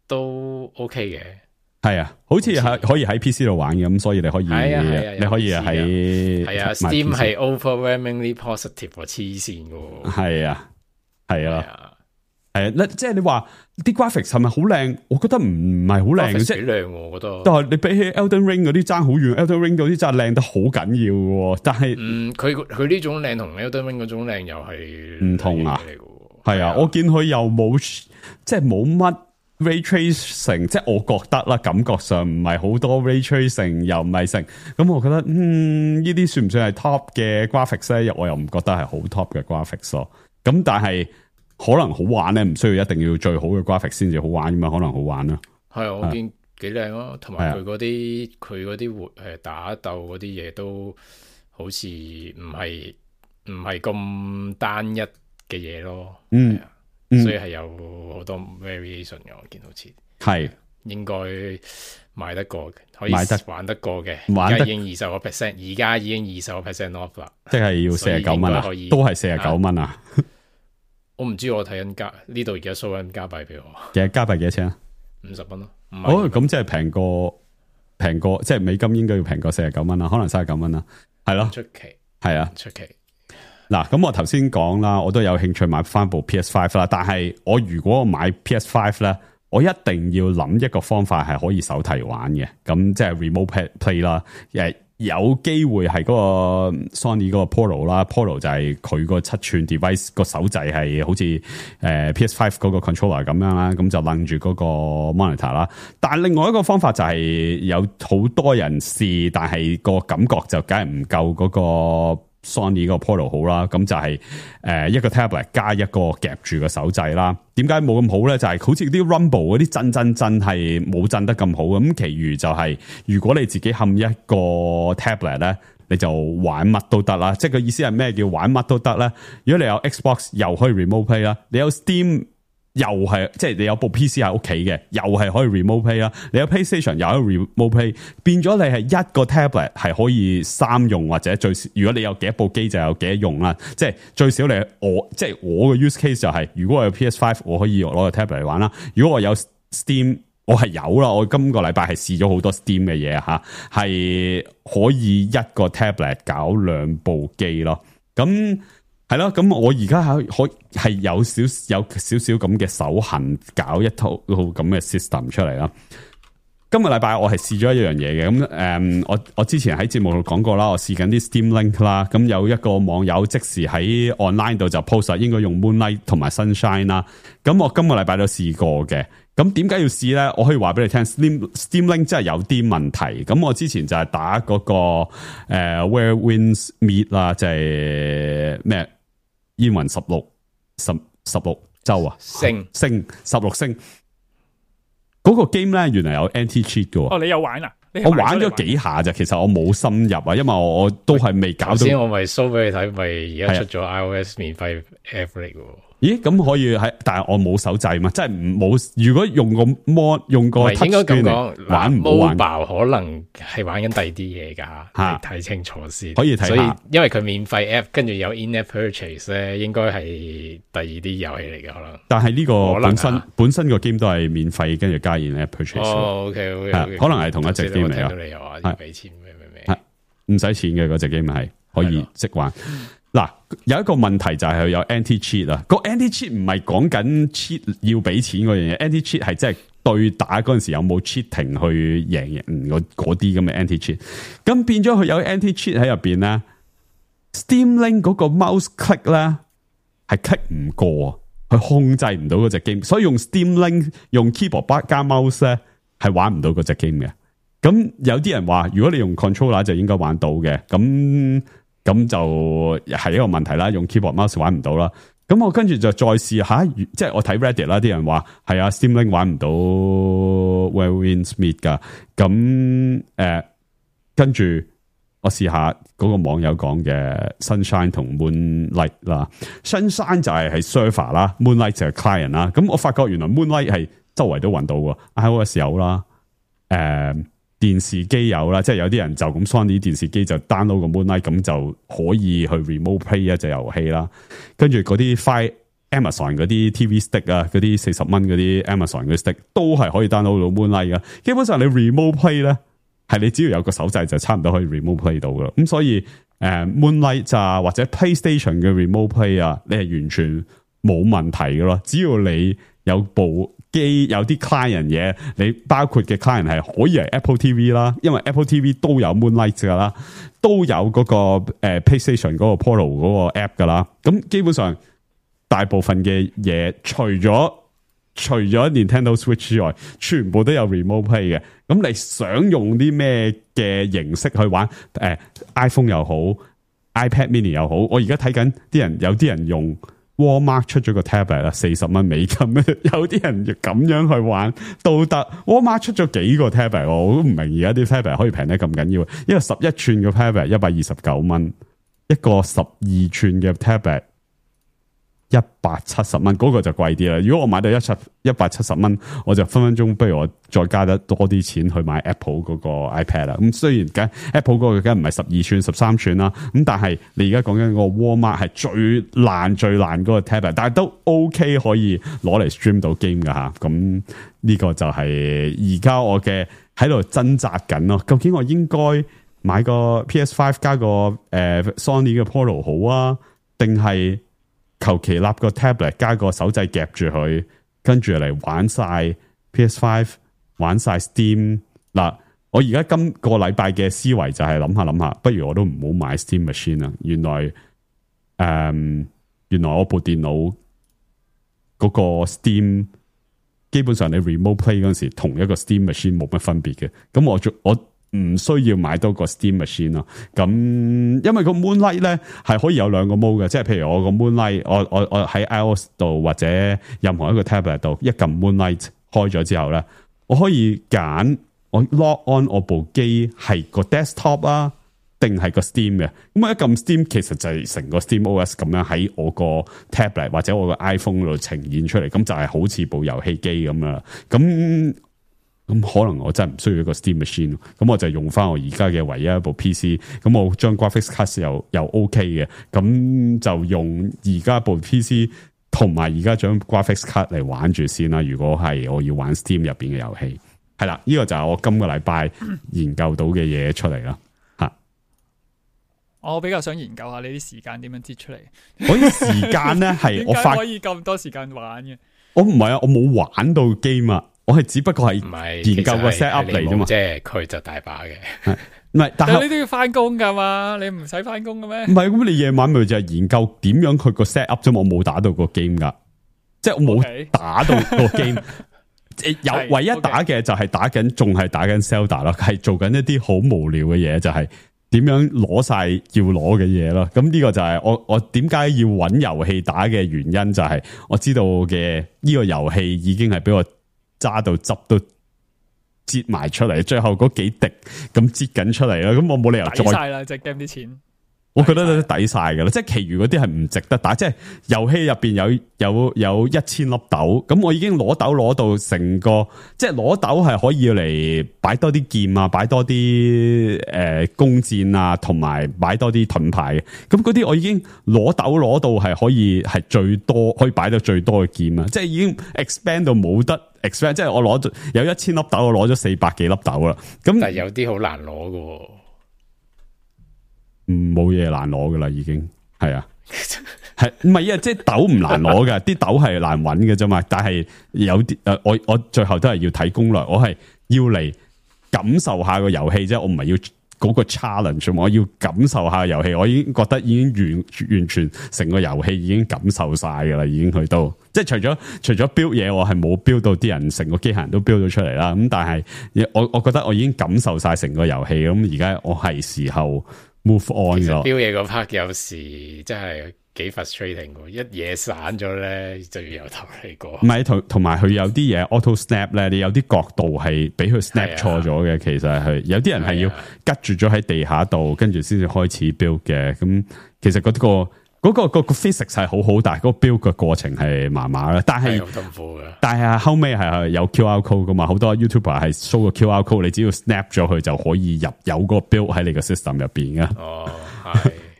Speaker 3: 都 OK 嘅。
Speaker 4: 係啊，好似係可以喺 P C 度玩嘅，咁所以你可以，
Speaker 3: 係啊係啊
Speaker 4: 你可以喺
Speaker 3: 係啊 ，Steam 係 overwhelmingly positive 喎，黐線嘅。係
Speaker 4: 啊，係啊。係啊，即係你話啲 graphics 係咪好靚？我覺得唔係好靚嘅啫，
Speaker 3: 幾靚我覺得。
Speaker 4: 但係你比起 Elden Ring 嗰啲爭好遠 ，Elden Ring 嗰啲真係靚得好緊要嘅。但係，
Speaker 3: 嗯，佢佢呢種靚同 Elden Ring 嗰種靚又係
Speaker 4: 唔同啊。係啊，我見佢又冇，即係冇乜 ray tracing，即係我覺得啦，感覺上唔係好多 ray tracing，又唔係成。咁我覺得，嗯，呢啲算唔算係 top 嘅 graphics 咧？我又唔覺得係好 top 嘅 graphics 咯。咁但係。可能好玩咧，唔需要一定要最好嘅 graphics 先至好玩，咁啊可能好玩啦。係啊，
Speaker 3: 我見幾靚咯，同埋佢嗰啲佢嗰啲活誒打鬥嗰啲嘢都好似唔係唔係咁單一嘅嘢咯。嗯，所以係有好多 variation 嘅。我見好似係應該買得過嘅，可以玩得過嘅。而家已經二十個 percent， 而家已經二十個 percent off 啦。即係要四十九蚊啊，都係四十九蚊啊。我唔知，我睇緊加呢度而家 show 緊加幣俾我，其實加幣幾多錢啊？五十蚊咯。哦，咁即係平過平過，即係美金應該要平過四十九蚊啦，可能三十九蚊啦，係咯。出奇係啊，出奇。嗱，咁我頭先講啦，我都有興趣買翻部 P S 五 啦，但係我如果我買 P S 五 咧，我一定要諗一個方法係可以手提玩嘅，咁即係 remote play 啦，誒。有機會係嗰個 Sony 嗰個 Polo 啦 ，Polo 就係佢個七寸 device 個手掣係好似誒 P S 五 嗰個 controller 咁樣啦，咁就楞住嗰個 monitor 啦。但係另外一個方法就係有好多人試，但係個感覺就梗係唔夠嗰個 Sony 個 Polo 好啦。咁就係誒一個 tablet 加一個夾住個手掣啦。點解冇咁好咧？就係、是、好似啲 Rumble 嗰啲震震震係冇震得咁好咁，其餘就係、是、如果你自己冚一個 tablet 咧，你就玩乜都得啦。即係個意思係咩叫玩乜都得咧？如果你有 Xbox 又可以 remote play 啦，你有 Steam 又係即係你有部 P C 喺屋企嘅，又係可以 remote play 啦。你有 PlayStation 又可以 remote play， 變咗你係一個 tablet 係可以三用或者最少，如果你有幾多部機就有幾多用啦。即係最少你我即係我嘅 use case 就係、是，如果我有 P S 五，我可以攞個 tablet 嚟玩啦。如果我有 Steam， 我係有啦。我今個禮拜係試咗好多 Steam 嘅嘢吓，係可以一個 tablet 搞兩部機咯。咁。係咯，咁我而家係可係有少有少少咁嘅手痕，搞一套咁嘅 system 出嚟啦。今個禮拜我係試咗一樣嘢嘅，咁誒、嗯，我我之前喺節目度講過啦，我試緊啲 Steam Link 啦，咁有一個網友即時喺 online 度就 post 應該用 Moonlight 同埋 Sunshine 啦。咁我今個禮拜都試過嘅。咁點解要試咧？我可以話俾你聽 ，Steam Steam Link 真係有啲問題。咁我之前就係打嗰、那個誒、呃、Where Winds Meet 啦，即係咩煙雲十六十十六州啊，星星十六星。嗰、那個 game 咧，原來有 anti cheat 嘅。哦，
Speaker 1: 你有玩啊？
Speaker 4: 我玩咗幾下咋，其實我冇深入啊，因為我我都係未搞到。
Speaker 3: 先我咪 show 俾你睇，咪而家出咗 iOS 免費 app 嚟嘅。
Speaker 4: 咦，咁可以喺，但係我冇手掣嘛，即係唔冇。如果用個 mon 用個 touch
Speaker 3: 應該咁講，
Speaker 4: 玩唔好玩，
Speaker 3: 可能係玩緊第二啲嘢噶，吓睇清楚先。
Speaker 4: 可以睇下，
Speaker 3: 所以因為佢免費 app， 跟住有 in-app purchase 咧，應該係第二啲遊戲嚟嘅可能。但係呢個本身本身個 game 都係免費，跟住加 in-app purchase。哦 ，OK OK，可能係同一隻 game 嚟啊。聽到你又話要俾錢咩咩咩，唔使錢嘅嗰隻 game 係可以識玩。嗱，有一個問題就係佢有 anti cheat 啊，個 anti cheat 唔係講緊 cheat 要俾錢嗰樣嘢 ，anti cheat 係即係對打嗰陣時有冇 cheating 去贏贏嗰啲咁嘅 anti cheat， 咁變咗佢有 anti cheat 喺入邊咧 ，Steam Link 嗰個 mouse click 咧係 click 唔過，佢控制唔到嗰隻 game， 所以用 Steam Link 用 keyboard 加 mouse 咧係玩唔到嗰隻 game 嘅。咁有啲人話，如果你用 controller 就應該玩到嘅，咁。咁就係一個問題啦，用 keyboard mouse 玩唔到啦。咁我跟住就再試下，即係我睇 Reddit 啦，啲人話係啊 Steam Link 玩唔到 Where Winds Meet 噶。咁誒、呃，跟住我試下嗰個網友講嘅 Sunshine 同 Moonlight 啦。Sunshine 就係係 server 啦 ，Moonlight 就係 client 啦。咁我發覺原來 Moonlight 係周圍都揾到喎 ，iOS 有啦，誒、呃。電視機有啦，即係有啲人就咁 Sony 電視機就 download 個 Moonlight，咁就可以去 remote play 一隻遊戲啦。跟住嗰啲 Fire
Speaker 4: Amazon 嗰啲 T V stick 啊，嗰啲四十蚊嗰啲 Amazon 嗰啲 stick 都係可以 download 到 Moonlight 噶。基本上你 remote play 咧，係你只要有個手掣就差唔多可以 remote play 到噶啦。咁所以誒、呃、Moonlight 啊或者 PlayStation 嘅 remote play 啊，你係完全冇問題噶咯。只要你有部機有啲 client 嘢，你包括嘅 client 係可以係 Apple T V 啦，因為 Apple T V 都有 Moonlight 噶啦，都有嗰、那個誒、呃、PlayStation 嗰個 Portal 嗰個 app 噶啦。咁基本上大部分嘅嘢，除咗除咗 Nintendo Switch 之外，全部都有 remote play 嘅。咁你想用啲咩嘅形式去玩？誒、呃、iPhone 又好 ，iPad Mini 又好。我而家睇緊啲人，有啲人用 Walmart 出咗個 tablet 啦，四十蚊美金。有啲人咁樣去玩都得。Walmart 出咗幾個 tablet，我都唔明而家啲 tablet 可以平得咁緊要。一個十一寸嘅 tablet 一百二十九蚊，一個十二寸嘅 tablet。一百七十蚊嗰個就貴啲啦。如果我買到一七一百七十蚊，我就分分鐘不如我再加得多啲錢去買 Apple 嗰個 iPad 啦。咁雖然梗 Apple 嗰個梗唔係十二寸、十三寸啦，咁但係你而家講緊個 Walmart 係最爛、最爛嗰個 tablet， 但係都 OK 可以攞嚟 stream 到 game 噶吓。咁呢個就係而家我嘅喺度掙扎緊咯。究竟我應該買個 P S 五 加個誒、呃、Sony 嘅 Portal 好啊，定係求其立個 tablet 加個手掣夾住佢，跟住嚟玩晒 P S 五， 玩晒 Steam。嗱，我而家今個禮拜嘅思維就係諗下諗下，不如我都唔好買 Steam Machine 啦。原來誒、嗯，原來我部電腦嗰個 Steam 基本上你 remote play 嗰陣時，同一個 Steam Machine 冇乜分別嘅。咁我做我。唔需要買多個 Steam Machine 咯，咁因為個 Moonlight 咧係可以有兩個 mode 嘅，即係譬如我個 Moonlight，我我我喺 iOS 度或者任何一個 tablet 度一撳 Moonlight 開咗之後咧，我可以揀我 log on 我部機係個 desktop 啊，定係個 Steam 嘅。咁我一撳 Steam， 其實就係成個 Steam O S 咁樣喺我個 tablet 或者我個 iPhone 度呈現出嚟，咁就係好似部遊戲機咁樣。咁咁可能我真係唔需要一個 Steam Machine， 咁我就用翻我而家嘅唯一一部 P C， 咁我將 Graphics Card 又又 OK 嘅，咁就用而家部 P C 同埋而家將 Graphics Card 嚟玩住先啦。如果係我要玩 Steam 入邊嘅遊戲，係啦，呢、這個就係我今個禮拜研究到嘅嘢出嚟啦。吓、嗯，
Speaker 1: 我比較想研究下你啲時間點樣擠出嚟。
Speaker 4: 我啲時間咧係我發
Speaker 1: 可以咁多時間玩嘅。
Speaker 4: 我唔係啊，我冇玩到 game 啊。我係只不過係研究個 set up 嚟啫嘛，
Speaker 3: 即係佢就大把嘅，
Speaker 4: 唔係，但係
Speaker 1: 你都要翻工噶嘛，你唔使翻工嘅咩？
Speaker 4: 唔係，咁你夜晚咪就係研究點樣佢個 set up 啫嘛，我冇打到個 game 噶，即係我冇打到個 game，有唯一打嘅就係打緊，仲係打緊 Zelda 啦，係做緊一啲好無聊嘅嘢，就係點樣攞晒要攞嘅嘢咯。咁呢個就係我我點解要揾遊戲打嘅原因，就係我知道嘅呢個遊戲已經係俾我揸到汁都擠埋出嚟，最後嗰幾滴咁擠緊出嚟啦，咁我冇理由再
Speaker 1: 抵晒啦，隻 game 啲錢，
Speaker 4: 我覺得都抵晒噶啦，即係其餘嗰啲係唔值得打，即係遊戲入邊有有有一千粒豆，咁我已經攞豆攞到成個，即係攞豆係可以嚟擺多啲劍啊，擺多啲誒弓箭啊，同埋擺多啲盾牌嘅，咁嗰啲我已經攞豆攞到係可以係最多可以擺到最多嘅劍啊，即係已經 expand 到冇得 expand， 即係我攞咗有一千粒豆，我攞咗四百幾粒豆啦，咁
Speaker 3: 但係有啲好難攞㗎。
Speaker 4: 唔冇嘢難攞噶啦，已經係啊，係唔係啊？即係豆唔難攞噶，啲豆係難搵嘅啫嘛。但係有啲誒，我我最後都係要睇攻略，我係要嚟感受下個遊戲啫，我唔係要嗰個 challenge，我要感受下遊戲。我已經覺得已經完完全成個遊戲已經感受晒噶啦，已經去到即係除咗除咗 build 嘢，我係冇 build 到啲人成個機械人都 build 咗出嚟啦。咁但係我我覺得我已經感受晒成個遊戲，咁而家我係時候。move on
Speaker 3: 其實標嘢嗰 part 有時真係幾 frustrating 嘅，一嘢散咗咧就要由頭嚟過。唔係同同埋佢有啲嘢 auto snap 咧，你有啲角度係俾佢 snap 錯咗嘅。其實係有啲人係要吉住咗喺地下度，跟住先至開始 build 嘅。咁其實嗰、嗰個。嗰、那個、那個個 physics 係好好，但係嗰個 build 嘅過程係麻麻啦。但係好痛苦嘅。但係後尾係有 Q R code 噶嘛，好多 YouTuber 係 show 個 Q R code，你只要 snap 咗佢就可以入有個 build 喺你個 system 入邊嘅。哦，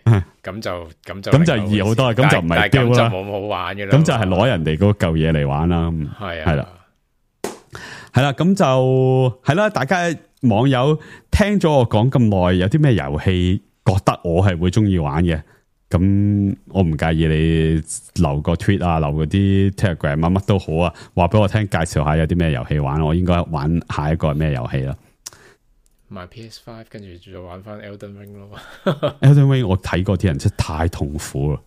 Speaker 3: 係。咁就咁就
Speaker 4: 咁就易好多，咁就唔係丟啦，
Speaker 3: 咁就冇好玩嘅啦。
Speaker 4: 咁就係攞人哋嗰嚿嘢嚟玩啦。
Speaker 3: 係啊，
Speaker 4: 係啦，係啦，咁就係啦。大家網友聽咗我講咁耐，有啲咩遊戲覺得我係會中意玩嘅？咁我唔介意你留個 tweet 啊，留嗰啲 Telegram 乜乜都好啊，話俾我聽，介紹下有啲咩遊戲玩，我應該玩下一個係咩遊戲啦？
Speaker 3: 買 P S 五 跟住再玩翻 Elden Ring 咯。
Speaker 4: Elden Ring 我睇過啲人真係太痛苦啦。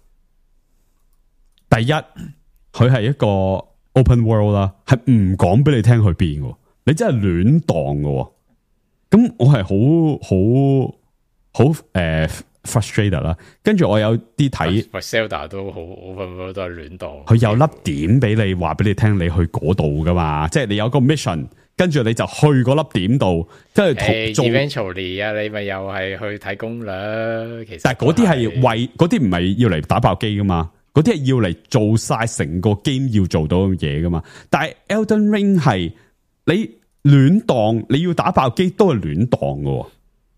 Speaker 4: 第一，佢係一個 open world 啦，係唔講俾你聽去邊嘅，你真係亂蕩嘅。咁我係好好好誒 frustrated 啦。跟住我有啲睇
Speaker 3: Zelda 都好 open world 都係亂蕩。
Speaker 4: 佢有粒點俾你話俾你聽，你去嗰度噶嘛？即係你有個 mission。跟住你就去嗰粒點度，跟住做
Speaker 3: eventually 啊，你咪又係去睇攻略。其實，
Speaker 4: 但係嗰啲係為嗰啲唔係要嚟打爆機噶嘛，嗰啲係要嚟做晒成個 game 要做到嘅嘢噶嘛。但係 Elden Ring 係你亂蕩，你要打爆機都係亂蕩噶，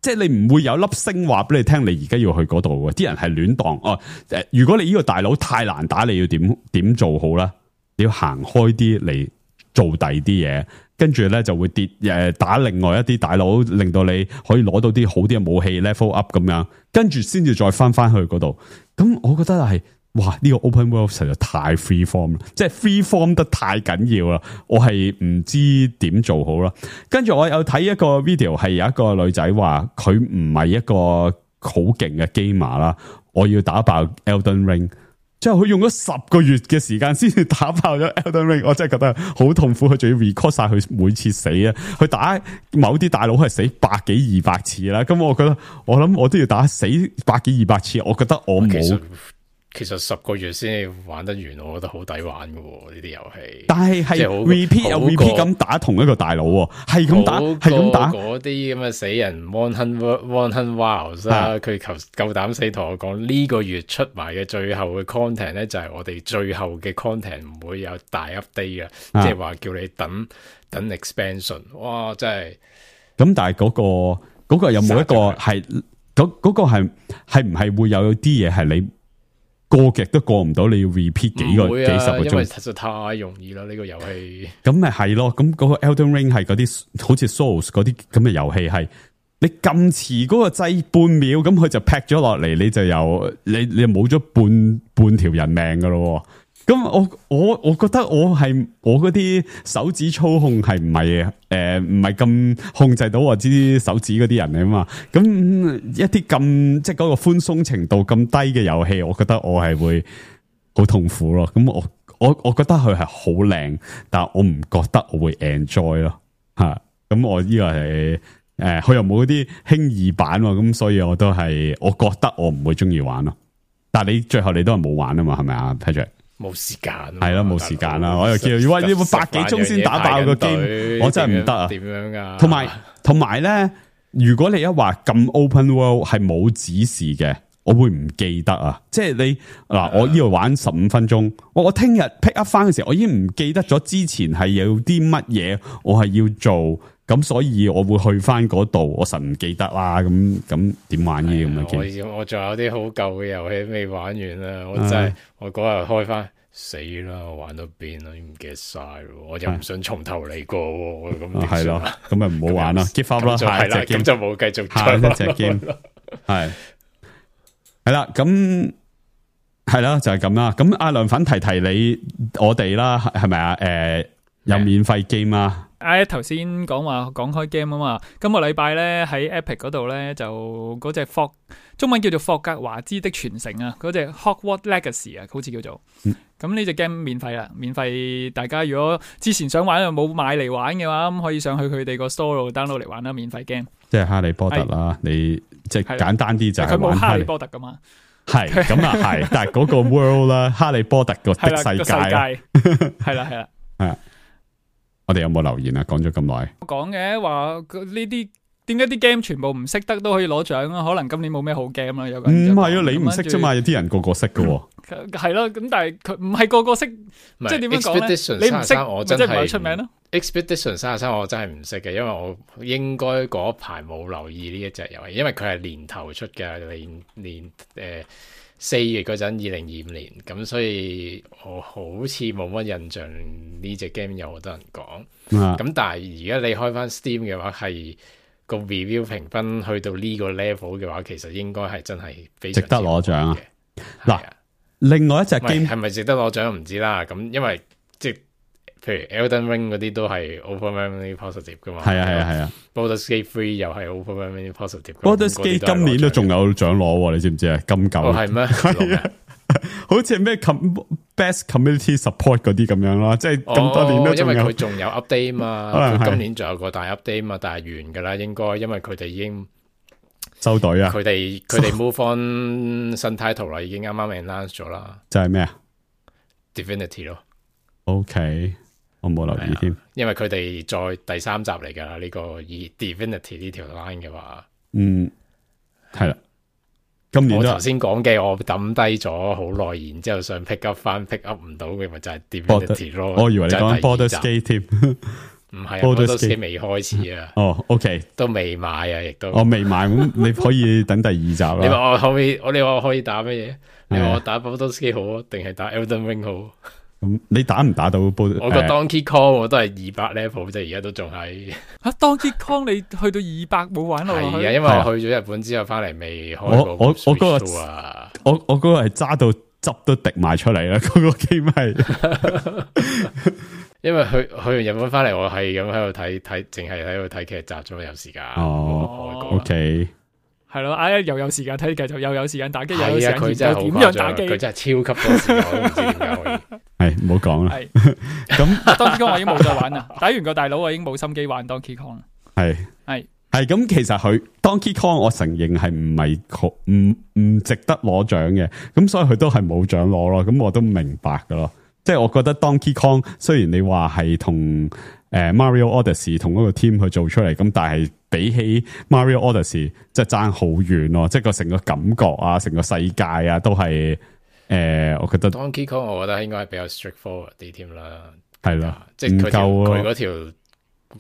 Speaker 4: 即係你唔會有粒星話俾你聽，你而家要去嗰度嘅。啲人係亂蕩哦。誒，如果你呢個大佬太難打，你要點點做好啦？你要行開啲嚟做第二啲嘢。跟住咧就會跌誒打另外一啲大佬，令到你可以攞到啲好啲嘅武器 level up 咁樣，跟住先至再翻翻去嗰度。咁我覺得係哇呢個 open world 實在太 free form 啦，即係 free form 得太緊要啦。我係唔知點做好啦。跟住我有睇一個 video 係有一個女仔話佢唔係一個好勁嘅 gamer 啦，我要打爆 Elden Ring。之後佢用咗十個月嘅時間先至打爆咗 Elden Ring，我真係覺得好痛苦。佢仲要 record 晒佢每次死啊！佢打某啲大佬係死百幾二百次啦。咁我覺得我諗我都要打死百幾二百次。我覺得我冇。
Speaker 3: 其實十個月先玩得完，我覺得好抵玩嘅呢啲遊戲。
Speaker 4: 但係係 repeat 又 repeat 咁打同一個大佬，係咁打，係咁打。
Speaker 3: 嗰啲咁嘅死人 one hundred one hundred wilds 啦，佢求夠膽死同我講呢個月出埋嘅最後嘅 content 咧，就係我哋最後嘅 content 唔會有大 update 嘅，即係話叫你等等 expansion。哇，真係。咁
Speaker 4: 但係嗰個嗰個有冇一個係嗰嗰個係係唔係會有啲嘢係你？過極都過唔到，你要 repeat 幾個、啊、幾十個鐘，因為
Speaker 3: 實在太容易啦呢、這個遊戲。
Speaker 4: 咁咪係咯，咁嗰個 Elden Ring 係嗰啲好似 Souls 嗰啲咁嘅遊戲，係你撳遲嗰個掣半秒，咁佢就劈咗落嚟，你就有你你冇咗半半條人命噶咯。咁我我我覺得我係我嗰啲手指操控係唔係誒唔係咁控制到我知手指嗰啲人嚟啊嘛，咁一啲咁即係嗰個寬鬆程度咁低嘅遊戲，我覺得我係會好痛苦咯。咁我我我覺得佢係好靚，但係我唔覺得我會 enjoy 咯吓。咁我呢個係誒佢又冇嗰啲輕易版，咁所以我都係我覺得我唔會中意玩咯。但係你最後你都係冇玩啊嘛，係咪啊 Patrick？
Speaker 3: 冇時間，
Speaker 4: 係咯，冇時間啦。我又叫喂，你百幾鐘先打爆個 game，我真係唔得啊！點樣噶？同埋同埋咧，如果你一話咁 open world 係冇指示嘅，我會唔記得啊！即係你嗱，我呢度玩十五分鐘，我我聽日 pick up 翻嘅時候，我已經唔記得咗之前係有啲乜嘢，我係要做。咁所以我會去翻嗰度，我實唔記得啦。咁咁點玩呢啲咁嘅 game？
Speaker 3: 我仲有啲好舊嘅遊戲未玩完啦。我真係、啊、我嗰日開翻死啦！我玩到邊啦？唔記得晒咯。我又唔想從頭嚟過。咁係咯，咁咪唔好玩啦 give up 啦。係啦，咁就冇繼續
Speaker 4: 下一隻 game。係係啦，咁係啦，就係咁啦。咁阿涼粉提提你我哋啦，係咪啊？誒、呃，有免費 game 啊？
Speaker 1: 啊！頭先講話講開 game 啊嘛，今個禮拜咧喺 Epic 嗰度咧就嗰隻霍中文叫做霍格華茲的傳承啊，嗰隻 Hogwarts Legacy 啊，好似叫做。咁呢隻 game 免費啦，免費大家如果之前想玩又冇買嚟玩嘅話，咁可以上去佢哋個 store 度 download 嚟玩啦，免費 game。即係哈利波特啦，你即係簡單啲就係玩哈利波特噶嘛。係咁啊，係，但係嗰個 world 啦，哈利波特個的世界，係啦係啦，係。我哋有冇留言啊？講咗咁耐，講嘅話呢啲點解啲 game 全部唔識得都可以攞獎啊？可能今年冇咩好 game 啦，有個
Speaker 4: 唔
Speaker 1: 人就講
Speaker 4: 係啊，你唔識啫嘛，有啲人個個識噶。
Speaker 1: 係咯，咁但係佢唔係個個識，即係點樣講咧？
Speaker 3: Expedition
Speaker 1: 你唔識，
Speaker 3: 我真
Speaker 1: 即係唔係
Speaker 3: 係
Speaker 1: 出名咯。
Speaker 3: Expedition 三十三我真係唔識嘅，因為我應該嗰排冇留意呢一隻遊戲，因為佢係年頭出嘅，年年誒四月嗰陣，二零二五年，咁所以我好似冇乜印象呢隻 game 有好多人講。咁、
Speaker 4: 啊、
Speaker 3: 但係而家你開翻 Steam 嘅話，係個 review 評分去到呢個 level 嘅話，其實應該係真係非常
Speaker 4: 值得攞獎啊！嗱、
Speaker 3: 啊，
Speaker 4: 另外一隻 game
Speaker 3: 係咪值得攞獎唔知啦。咁因為即係譬如 Elden Ring 嗰啲都係 overwhelmingly positive 噶嘛。係
Speaker 4: 啊係啊係啊
Speaker 3: Baldur's Gate three 又係 overwhelmingly positive。Baldur's
Speaker 4: Gate 今年都仲有獎攞，你知唔知啊？金狗
Speaker 3: 哦係咩？係啊，
Speaker 4: 好似係咩 best community support 嗰啲咁樣啦，即係咁多年都仲有。
Speaker 3: 因為佢仲有 update 嘛，佢今年仲有個大 update 嘛，但係完噶啦，應該因為佢哋已經
Speaker 4: 收隊啊，
Speaker 3: 佢哋佢哋 move on 新 title 啦，已經啱啱 announce 咗啦。
Speaker 4: 就係咩啊
Speaker 3: ？Divinity 咯。
Speaker 4: OK，我冇留意添，
Speaker 3: 因為佢哋再第三集嚟噶啦，呢、這個以 Divinity 呢條 line 嘅話，
Speaker 4: 嗯，係啦。今年
Speaker 3: 我頭先講嘅，我抌低咗好耐，然之後想 pick up 翻 pick up 唔到嘅，咪就係 Divinity 咯。
Speaker 4: 我以為你講 Baldur's Gate 添，
Speaker 3: 唔係 Baldur's Gate 未開始啊。
Speaker 4: 哦 ，OK，
Speaker 3: 都未買啊，亦都
Speaker 4: 我未買，咁你可以等第二集啦。
Speaker 3: 你話我可以，我你話我可以打乜嘢？你話我打 Baldur's Gate 好啊，定係打 Elden Ring 好？
Speaker 4: 咁你打唔打到？我
Speaker 3: 個 Donkey Kong 我都係二百 level 啫，而家都仲係。
Speaker 1: 吓 Donkey Kong 你去到二百冇玩落去？
Speaker 3: 係啊，因為我去咗日本之後翻嚟未開過。
Speaker 4: 我我我嗰個
Speaker 3: 啊，
Speaker 4: 我我嗰個係揸到汁都滴埋出嚟啦，嗰個 game 係。
Speaker 3: 因為去去完日本翻嚟，我係咁喺度睇睇，淨係喺度睇劇集啫嘛，有時間。
Speaker 4: 哦 ，OK。
Speaker 1: 係咯，啊又有時間睇劇集，又有時間打機，又有時間
Speaker 3: 佢真係
Speaker 1: 點樣打機，
Speaker 3: 佢真係超級多時間，我都唔知點解可以。
Speaker 4: 係唔好講啦。
Speaker 1: 咁 Donkey Kong 我已經冇再玩啦，打完個大佬我已經冇心機玩 Donkey Kong 啦。
Speaker 4: 係
Speaker 1: 係
Speaker 4: 係咁，其實佢 Donkey Kong 我承認係唔係唔唔值得攞獎嘅，咁所以佢都係冇獎攞咯。咁我都明白噶咯，即係我覺得 Donkey Kong 雖然你話係同誒 Mario Odyssey 同嗰個 team 去做出嚟，咁但係比起 Mario Odyssey 即係爭好遠咯，即係個成個感覺啊，成個世界啊，都係誒、呃，我覺得
Speaker 3: Donkey Kong 我覺得應該係比較 straightforward 啲添啦，
Speaker 4: 係啦，
Speaker 3: 即係佢
Speaker 4: 夠
Speaker 3: 佢嗰條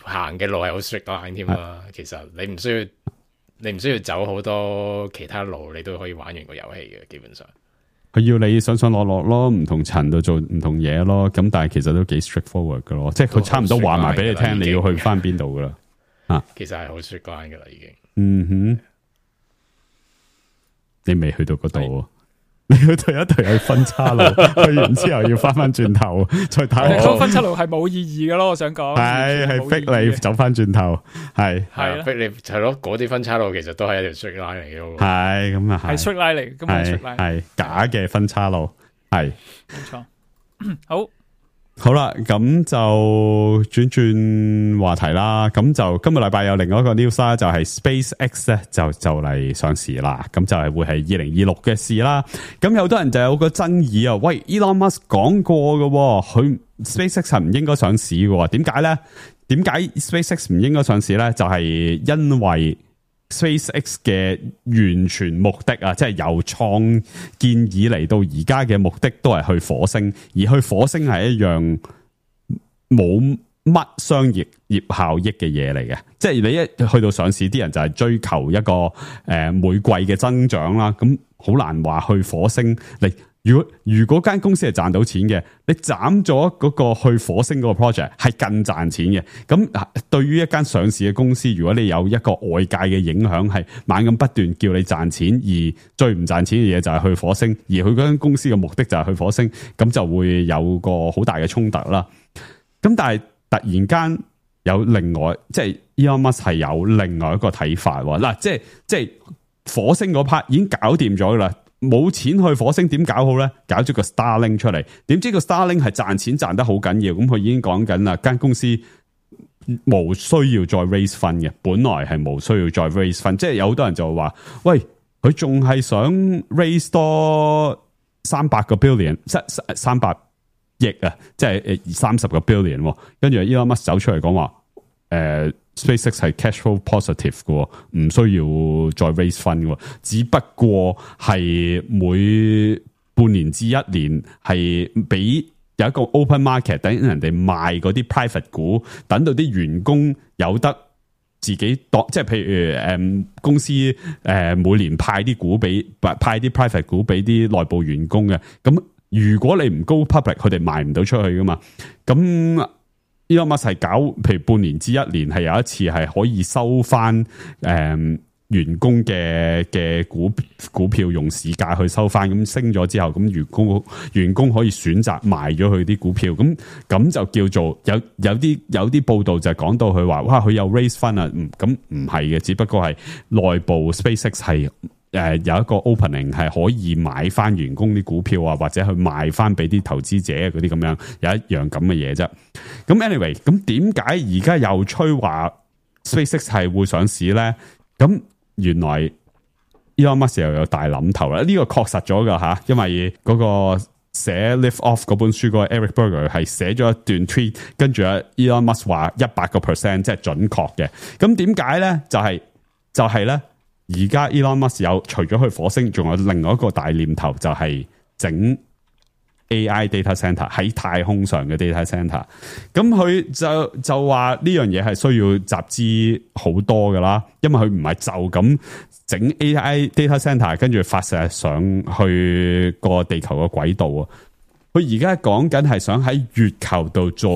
Speaker 3: 行嘅路係好 straight line 添啦。其實你唔需要你唔需要走好多其他路，你都可以玩完個遊戲嘅，基本上。
Speaker 4: 佢要你上上落落咯，唔同層度做唔同嘢咯，咁但係其實都幾 straightforward 噶咯，即係佢差唔多話埋俾你聽，你要去翻邊度噶啦。啊，
Speaker 3: 其實係好 straight line 噶啦，已經。
Speaker 4: 嗯哼，你未去到嗰度，你要退一退去分岔路，去完之後要翻翻轉頭再睇。
Speaker 1: 嗰分岔路係冇意義噶咯，我想講。
Speaker 4: 係係逼你走翻轉頭，係
Speaker 3: 係逼你係咯，嗰啲分岔路其實都係一條 straight line 嚟嘅。
Speaker 4: 係咁啊，
Speaker 1: 係 straight line 嚟，根本係 straight line，
Speaker 4: 係假嘅分岔路，係
Speaker 1: 冇錯。好。
Speaker 4: 好啦，咁就轉轉話題啦。咁就今個禮拜有另外一個 news 啦，就係 SpaceX 咧就就嚟上市啦。咁就係會係二零二六嘅事啦。咁有好多人就有個爭議啊。喂 ，Elon Musk 講過嘅，佢 SpaceX 係唔應該上市嘅。點解咧？點解 SpaceX 唔應該上市咧？就係因為 SpaceX 嘅完全目的啊，即係由創建以嚟到而家嘅目的都係去火星，而去火星係一樣冇乜商業業效益嘅嘢嚟嘅。即係你一去到上市，啲人就係追求一個誒、呃、每季嘅增長啦。咁好難話去火星嚟。如果如果間公司係賺到錢嘅，你斬咗嗰個去火星嗰個 project 係更賺錢嘅。咁對於一間上市嘅公司，如果你有一個外界嘅影響，係猛咁不斷叫你賺錢，而最唔賺錢嘅嘢就係去火星，而佢嗰間公司嘅目的就係去火星，咁就會有個好大嘅衝突啦。咁但係突然間有另外，即係 Elon Musk 係有另外一個睇法喎。嗱，即係即係火星嗰 part 已經搞掂咗啦。冇錢去火星點搞好咧？搞咗個 Starlink 出嚟，點知個 Starlink 係賺錢賺得好緊要，咁佢已經講緊啦，間公司冇需要再 raise fund 嘅，本來係冇需要再 raise fund，即係有好多人就話，喂，佢仲係想 raise 多三百個 billion，三三百億啊，即係誒三十個 billion，跟住 Elon Musk 走出嚟講話，誒、呃、SpaceX 係 cash flow positive 嘅，唔需要再 raise fund 嘅，只不過係每半年至一年係俾有一個 open market，等人哋賣嗰啲 private 股，等到啲員工有得自己當，即係譬如誒、嗯、公司誒、呃、每年派啲股俾派啲 private 股俾啲內部員工嘅，咁如果你唔 go public，佢哋賣唔到出去噶嘛，咁。Elon Musk係搞，譬如半年至一年係有一次係可以收翻誒、嗯、員工嘅嘅股股票用市價去收翻，咁升咗之後，咁員工員工可以選擇賣咗佢啲股票，咁咁就叫做有有啲有啲報道就係講到佢話，哇佢有 raise fund 啊，咁唔係嘅，只不過係內部 SpaceX 係。誒、呃，有一個 opening 係可以買翻員工啲股票啊，或者去賣翻俾啲投資者嗰啲咁樣，有一樣咁嘅嘢啫。咁 anyway，咁點解而家又吹話 SpaceX 係會上市咧？咁原來 Elon Musk 又有大諗頭啦。呢、這個確實咗噶吓，因為嗰個寫 Live Off 嗰本書嗰個 Eric Berger 係寫咗一段 tweet， 跟住啊 Elon Musk 話一百個 percent 即係準確嘅。咁點解咧？就係、是、就係、是、咧。而家 Elon Musk 有除咗去火星，仲有另外一個大念頭，就係整 A I data center 喺太空上嘅 data center。咁佢就就話呢樣嘢係需要集資好多噶啦，因為佢唔係就咁整 A I data center 跟住發射上去個地球嘅軌道啊。佢而家講緊係想喺月球度做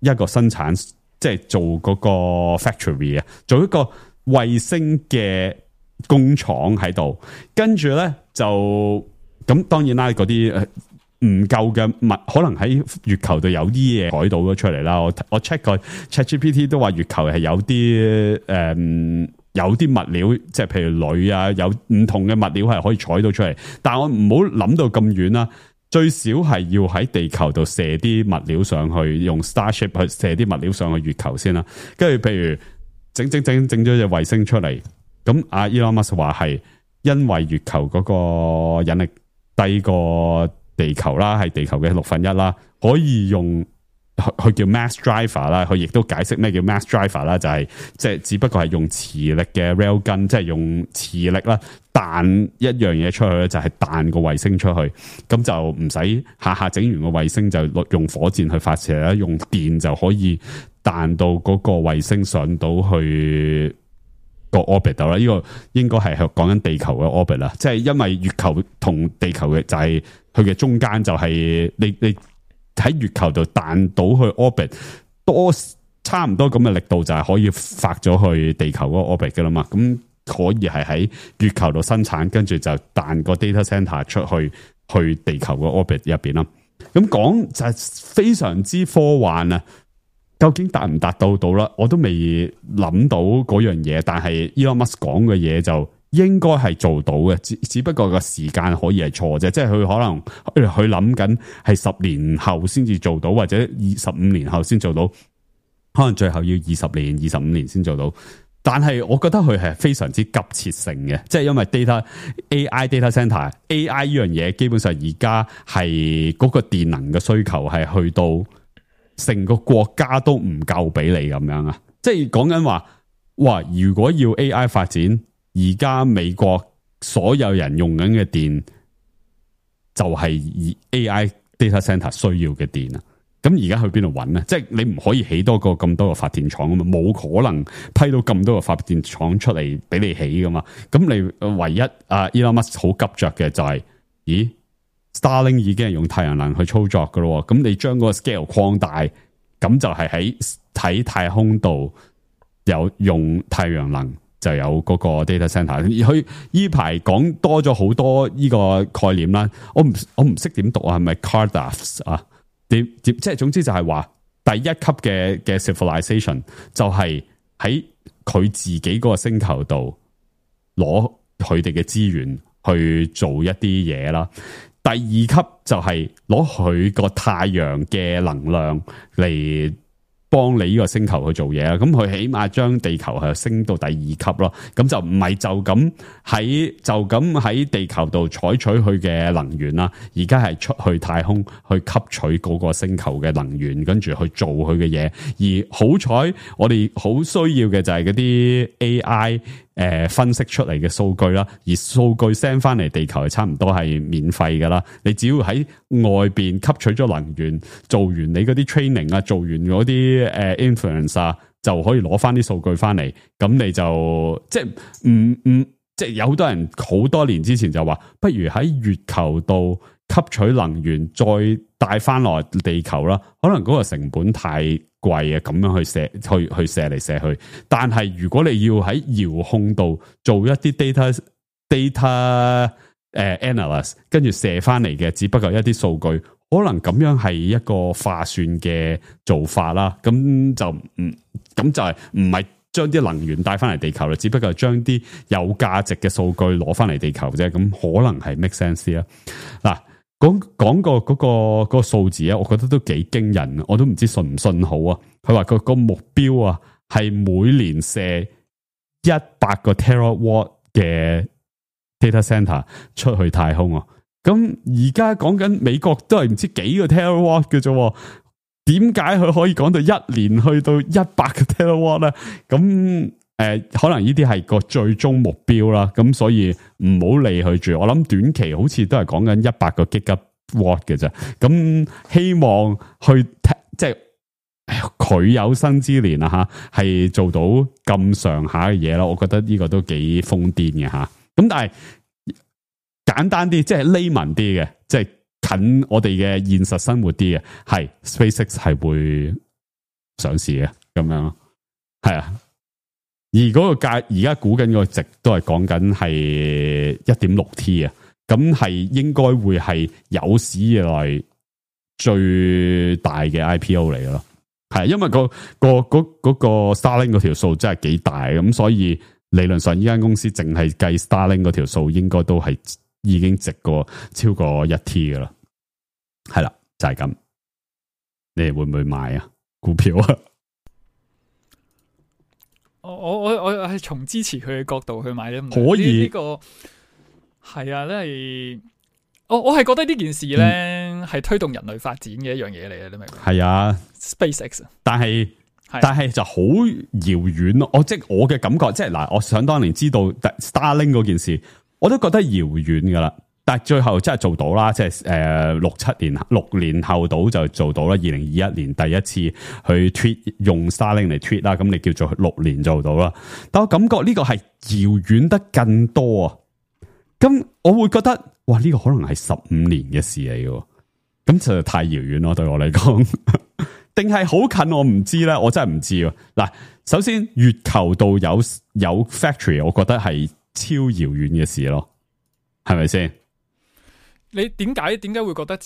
Speaker 4: 一個生產，即係做嗰個 factory 啊，做一個。衛星嘅工廠喺度，跟住咧就咁，當然啦，嗰啲唔夠嘅物，可能喺月球度有啲嘢改到咗出嚟啦。我我 check 過 ChatGPT 都話月球係有啲誒、嗯，有啲物料，即係譬如鋁啊，有唔同嘅物料係可以採到出嚟。但係我唔好諗到咁遠啦，最少係要喺地球度射啲物料上去，用 Starship 去射啲物料上去月球先啦。跟住譬如。整整整整咗隻衛星出嚟，咁阿 Elon Musk 話係因為月球嗰個引力低過地球啦，係地球嘅六分一啦，可以用佢叫 mass driver 啦，佢亦都解釋咩叫 mass driver 啦，就係即係只不過係用磁力嘅 rail gun，即係用磁力啦彈一樣嘢出去咧，就係彈個衛星出去，咁就唔使下下整完個衛星就用火箭去發射啦，用電就可以。彈到嗰個衛星上到去個 orbit 度啦，呢個應該係講緊地球嘅 orbit 啦，即係因為月球同地球嘅就係佢嘅中間就係你你喺月球度彈到去 orbit 多差唔多咁嘅力度就係可以發咗去地球嗰個 orbit 噶啦嘛，咁可以係喺月球度生產，跟住就彈個 data center 出去去地球個 orbit 入邊啦。咁講就係非常之科幻啊！究竟達唔達到到啦？我都未諗到嗰樣嘢，但係 Elon Musk 講嘅嘢就應該係做到嘅，只只不過個時間可以係錯啫，即係佢可能佢諗緊係十年後先至做到，或者二十五年後先做到，可能最後要二十年、二十五年先做到。但係我覺得佢係非常之急切性嘅，即係因為 data A I data center A I 呢樣嘢，基本上而家係嗰個電能嘅需求係去到。成個國家都唔夠俾你咁樣啊！即係講緊話，哇！如果要 A I 發展，而家美國所有人用緊嘅電就係 A I data center 需要嘅電啊！咁而家去邊度揾呢？即係你唔可以起多個咁多個發電廠啊嘛，冇可能批到咁多個發電廠出嚟俾你起噶嘛。咁你唯一啊 Elon Musk 好急着嘅就係、是，咦？Starlink 已經係用太陽能去操作噶咯，咁你將嗰個 scale 擴大，咁就係喺喺太空度有用太陽能就有嗰個 data center。而佢呢排講多咗好多呢個概念啦，我唔我唔識點讀啊，係咪 Cardass 啊？點點即係總之就係話第一級嘅嘅 civilization 就係喺佢自己嗰個星球度攞佢哋嘅資源去做一啲嘢啦。第二級就係攞佢個太陽嘅能量嚟幫你呢個星球去做嘢啊，咁佢起碼將地球係升到第二級咯，咁就唔係就咁喺就咁喺地球度採取佢嘅能源啦，而家係出去太空去吸取嗰個星球嘅能源，跟住去做佢嘅嘢。而好彩我哋好需要嘅就係嗰啲 A I 誒、呃、分析出嚟嘅數據啦，而數據 send 翻嚟地球係差唔多係免費噶啦，你只要喺外邊吸取咗能源，做完你嗰啲 training 啊，做完嗰啲誒 influence 啊，就可以攞翻啲數據翻嚟，咁你就即係唔唔即係有好多人好多年之前就話，不如喺月球度吸取能源，再帶翻落地球啦。可能嗰個成本太貴啊，咁樣去射去去射嚟射去。但係如果你要喺遙控度做一啲 data data 誒 analyst， 跟住射翻嚟嘅，只不過一啲數據。可能咁樣係一個划算嘅做法啦，咁就唔咁就係唔係將啲能源帶翻嚟地球啦，只不過係將啲有價值嘅數據攞翻嚟地球啫，咁可能係 make sense 啦。嗱，講講個嗰個嗰個數字啊，我覺得都幾驚人，我都唔知信唔信好啊。佢話個個目標啊係每年射一百個 terawatt 嘅 data center 出去太空啊。咁而家講緊美國都係唔知幾個 terawatt 嘅啫，點解佢可以講到一年去到一百個 terawatt 咧？咁誒、呃，可能呢啲係個最終目標啦。咁所以唔好理佢住。我諗短期好似都係講緊一百個 gigawatt 嘅啫。咁希望去即係佢有生之年啊吓，係做到咁上下嘅嘢咯。我覺得呢個都幾瘋癲嘅吓。咁但係。簡單啲，即係 layman 啲嘅，即係近我哋嘅現實生活啲嘅，係 SpaceX 係會上市嘅，咁樣咯，係啊。而嗰個價，而家估緊個值都係講緊係一點六 T 啊，咁係應該會係有史以來最大嘅 I P O 嚟嘅咯。係，因為、個個嗰嗰個 Starlink 嗰條數真係幾大，咁所以理論上呢間公司淨係計 Starlink 嗰條數，應該都係。已經值過超過一 T 噶啦，係啦，就係、是、咁。你哋會唔會買啊？股票啊？
Speaker 1: 我我我我係從支持佢嘅角度去買咧，
Speaker 4: 可以呢、這個
Speaker 1: 係啊，真係我我係覺得呢件事咧係、嗯、推動人類發展嘅一樣嘢嚟嘅，你明唔明？係
Speaker 4: 啊
Speaker 1: ，SpaceX，
Speaker 4: 但係但係就好遙遠咯。我即係我嘅感覺，即係嗱，我想當年知道 Starlink 嗰件事。我都覺得遙遠噶啦，但係最後真係做到啦，即係誒六七年六年後到就做到啦。二零二一年第一次去 tweet 用 Starlink 嚟 tweet 啦，咁你叫做六年做到啦。但我感覺呢個係遙遠得更多啊！咁我會覺得，哇，呢個可能係十五年嘅事嚟嘅，咁就太遙遠咯，對我嚟講。定係好近我唔知咧，我真係唔知。嗱，首先月球度有有 factory， 我覺得係。超遙遠嘅事咯，係咪先？
Speaker 1: 你點解點解會覺得超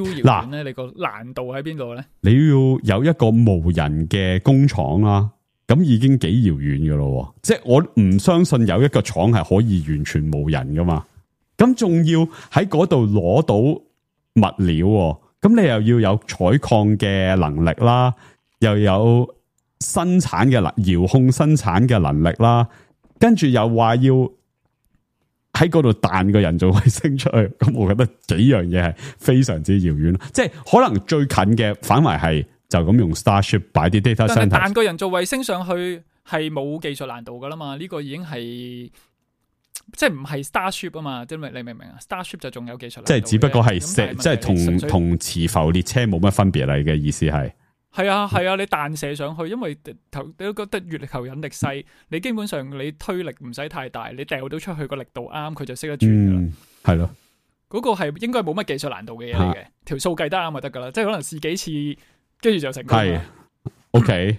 Speaker 1: 遙遠咧？你個難度喺邊度咧？
Speaker 4: 你要有一個無人嘅工廠啦，咁已經幾遙遠噶咯。即係我唔相信有一個廠係可以完全無人噶嘛。咁仲要喺嗰度攞到物料，咁你又要有採礦嘅能力啦，又有生產嘅能遙控生產嘅能力啦。跟住又話要喺嗰度彈個人造衛星出去，咁我覺得幾樣嘢係非常之遙遠，即係可能最近嘅反為係就咁用 Starship 擺啲 data center，
Speaker 1: 但係彈個人造衛星上去係冇技術難度噶啦嘛，呢、這個已經係即係唔係 Starship 啊嘛，即係你明唔明啊 ？Starship 就仲有技術難度，即係只不過係
Speaker 4: 即係同同磁浮列車冇乜分別嚟嘅意思係。
Speaker 1: 係啊係啊，你彈射上去，因為頭你都覺得月球引力細，你基本上你推力唔使太大，你掉到出去個力度啱，佢就識得轉噶啦。係咯、嗯，嗰個係應該冇乜技術難度嘅嘢嚟嘅，條數計得啱就得噶啦，即係可能試幾次，跟住就成功。係 ，OK，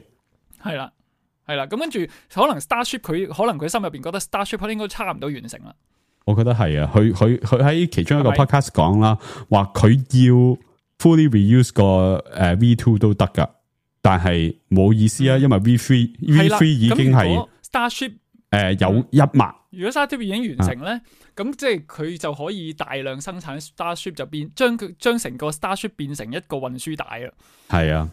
Speaker 1: 係啦係啦，咁跟住可能 Starship 佢可能佢心入邊覺得 Starship 應該差唔多完成啦。我覺得係啊，佢佢佢喺其中一個 podcast 講啦，話佢要。fully reuse 個誒 V two 都得噶，但係冇意思啊，因為 V three V three 已經係 Starship 誒、
Speaker 4: 呃、有一萬。如
Speaker 1: 果 Starship 已經完成咧，咁、啊、即係佢就可以大量生產 Starship， 就變將佢將成個 Starship 變成一個運輸帶啊。係啊，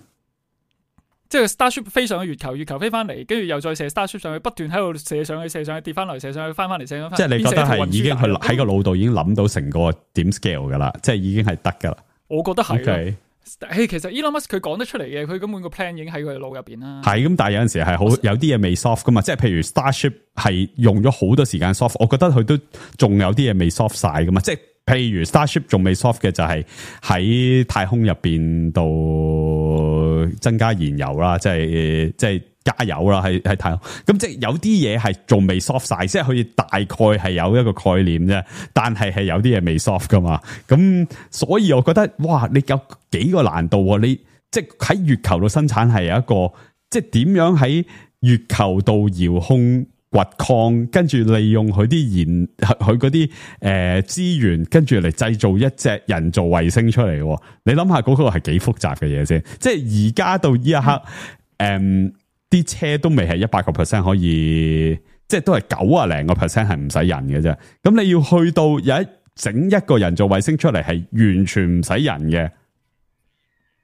Speaker 1: 即係 Starship 飛上去月球，月球飛翻嚟，跟住又再射 Starship 上去，不斷喺度射上去、射上去、跌翻嚟、射上去、翻翻嚟、射上去。
Speaker 4: 即係你覺得係已經佢喺個腦度已經諗到成個點 scale 噶啦，即係已經係得噶啦。
Speaker 1: 我覺得係。
Speaker 4: Okay.
Speaker 1: 誒，其實 Elon Musk 佢講得出嚟嘅，佢根本個 plan 已經喺佢腦入邊啦。
Speaker 4: 係咁，但係有陣時係好有啲嘢未 soft 噶嘛，即係譬如 Starship 係用咗好多時間 soft， 我覺得佢都仲有啲嘢未 soft 晒噶嘛。即係譬如 Starship 仲未 soft 嘅就係喺太空入邊度增加燃油啦，即係即係加油啦，喺喺太空。咁即係有啲嘢係仲未 soft 晒，即係佢大概係有一個概念啫，但係係有啲嘢未 soft 噶嘛。咁所以我覺得哇，你有幾個難度，你即係喺月球度生產係有一個，即係點樣喺月球度遙控掘礦，跟住利用佢啲燃佢嗰啲誒資源，跟住嚟製造一隻人造衛星出嚟。你諗下嗰個係幾複雜嘅嘢先？即係而家到呢一刻，誒、嗯，啲、嗯、車都未係一百個 percent 可以，即係都係九啊零個 percent 係唔使人嘅啫。咁你要去到有一整一個人造衛星出嚟，係完全唔使人嘅。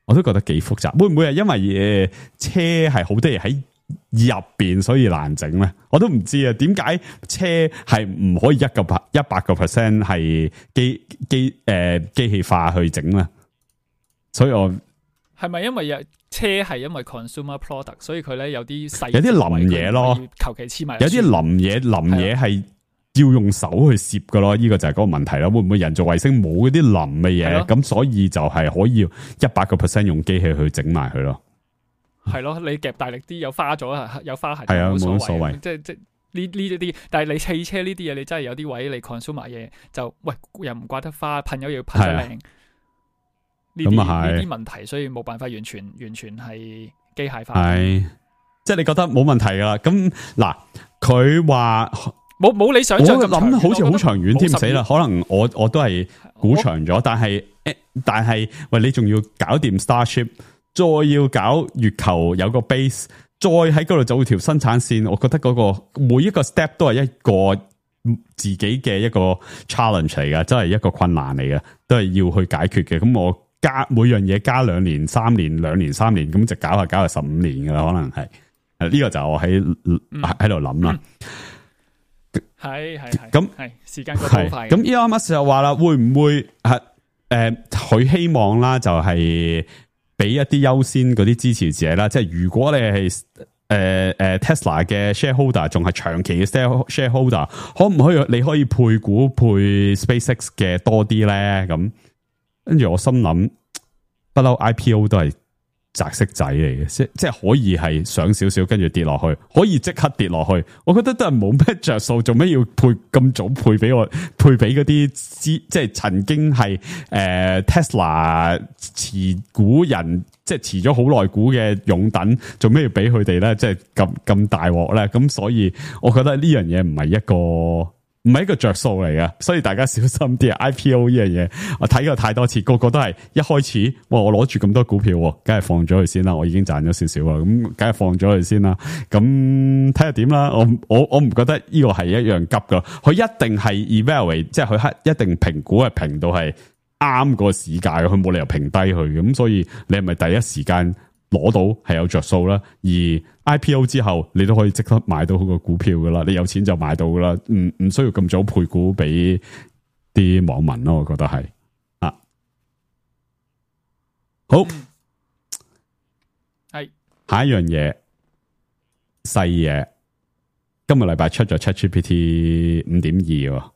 Speaker 4: 我都覺得幾複雜，會唔會係因為誒車係好多嘢喺入邊，所以難整咧？我都唔知啊。點解車係唔可以一個百一百個 percent 係機機誒機器化去整咧？所以我
Speaker 1: 係咪因為有車係因為 consumer product，所以佢咧有啲細
Speaker 4: 有啲腍嘢咯，
Speaker 1: 求其黐埋
Speaker 4: 有啲腍嘢腍嘢係要用手去攝噶咯，呢、這個就係嗰個問題啦。會唔會人造衛星冇嗰啲腍嘅嘢，咁所以就係可以一百個 percent 用機器去整埋佢咯？
Speaker 1: 係咯，你夾大力啲，有花咗有花痕，
Speaker 4: 係啊，冇
Speaker 1: 乜
Speaker 4: 所謂。
Speaker 1: 即係即係呢呢一啲，但係你汽車呢啲嘢，你真係有啲位你 consumer 嘢就喂又唔掛得花，噴油要噴得靚。呢啲呢啲問題，所以冇辦法完全完全係機械化。
Speaker 4: 係，即係你覺得冇問題噶啦。咁嗱，佢話。
Speaker 1: 冇冇你想象咁長遠，
Speaker 4: 我諗好似好長遠添，死啦！可能我我都係估長咗，但係誒，但係喂，你仲要搞掂 Starship， 再要搞月球有個 base， 再喺嗰度做條生產線，我覺得嗰個每一個 step 都係一個自己嘅一個 challenge 嚟嘅，真係一個困難嚟嘅，都係要去解決嘅。咁我加每樣嘢加兩年、三年、兩年、三年，咁就搞下搞下十五年噶啦，可能係。呢、這個就我喺喺度諗啦。
Speaker 1: 係係係
Speaker 4: 咁
Speaker 1: 係時間過得好快。
Speaker 4: 咁 Elon Musk 就話啦，會唔會係誒佢希望啦，就係俾一啲優先嗰啲支持者啦。即係如果你係誒誒 Tesla 嘅 shareholder， 仲係長期嘅 shareholder， 可唔可以你可以配股配 SpaceX 嘅多啲咧？咁跟住我心諗，不嬲 I P O 都係擲色仔嚟嘅，即即係可以係上少少，跟住跌落去，可以即刻跌落去。我覺得都係冇咩着數，做咩要配咁早配俾我？配俾嗰啲資，即係曾經係誒、呃、Tesla 持股人，即係持咗好耐股嘅擁躉，做咩要俾佢哋咧？即係咁咁大鑊咧？咁所以我覺得呢樣嘢唔係一個。唔係一個着數嚟嘅，所以大家小心啲啊 ！I P O 呢樣嘢，我睇過太多次，個個都係一開始，哇！我攞住咁多股票，梗係放咗佢先啦，我已經賺咗少少啦，咁梗係放咗佢先啦。咁睇下點啦，我我我唔覺得呢個係一樣急噶，佢一定係 evaluate，即係佢一定評估係評到係啱個市價，佢冇理由評低佢，咁所以你係咪第一時間攞到係有着數啦？而 I P O 之後，你都可以即刻買到個股票噶啦，你有錢就買到噶啦，唔唔需要咁早配股俾啲網民咯，我覺得係啊。好，係下一樣嘢，細嘢，今個禮拜出咗 ChatGPT 五點二，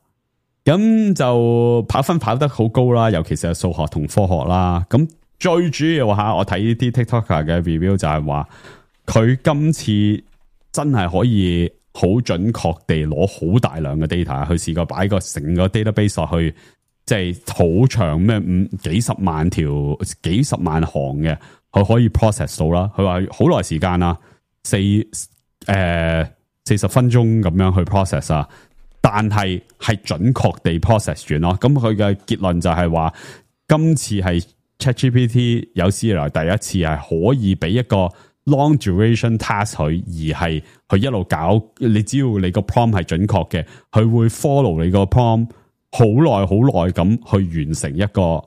Speaker 4: 咁就跑分跑得好高啦，尤其是係數學同科學啦。咁最主要吓，我睇啲 TikToker 嘅 review 就係話。佢今次真係可以好準確地攞好大量嘅 data，佢試過擺個成個 database 落去，即係好長咩五幾十萬條、幾十萬行嘅，佢可以 process 到啦。佢話好耐時間啦，四誒四十分鐘咁樣去 process 啊，但係係準確地 process 完咯。咁佢嘅結論就係話，今次係 ChatGPT 有史以來第一次係可以俾一個long duration task 佢，而係佢一路搞，你只要你個 prompt 係準確嘅，佢會 follow 你個 prompt 好耐好耐咁去完成一個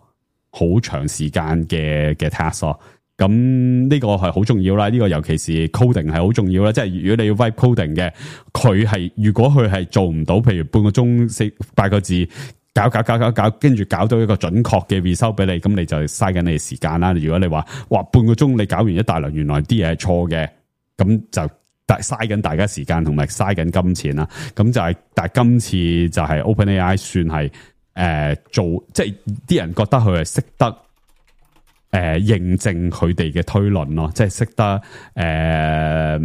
Speaker 4: 好長時間嘅嘅 task 咯。咁呢個係好重要啦，呢、這個尤其是 coding 係好重要啦。即係如果你要 write coding 嘅，佢係如果佢係做唔到，譬如半個鐘四八個字，搞搞搞搞搞，跟住搞到一個準確嘅 result 俾你，咁你就嘥緊你嘅時間啦。如果你話哇半個鐘你搞完一大輪，原來啲嘢係錯嘅，咁就大嘥緊大家時間同埋嘥緊金錢啦。咁就係、是，但係今次就係 OpenAI 算係誒、呃、做，即係啲人覺得佢係識得。誒、呃，認證佢哋嘅推論咯，即係識得誒誒、呃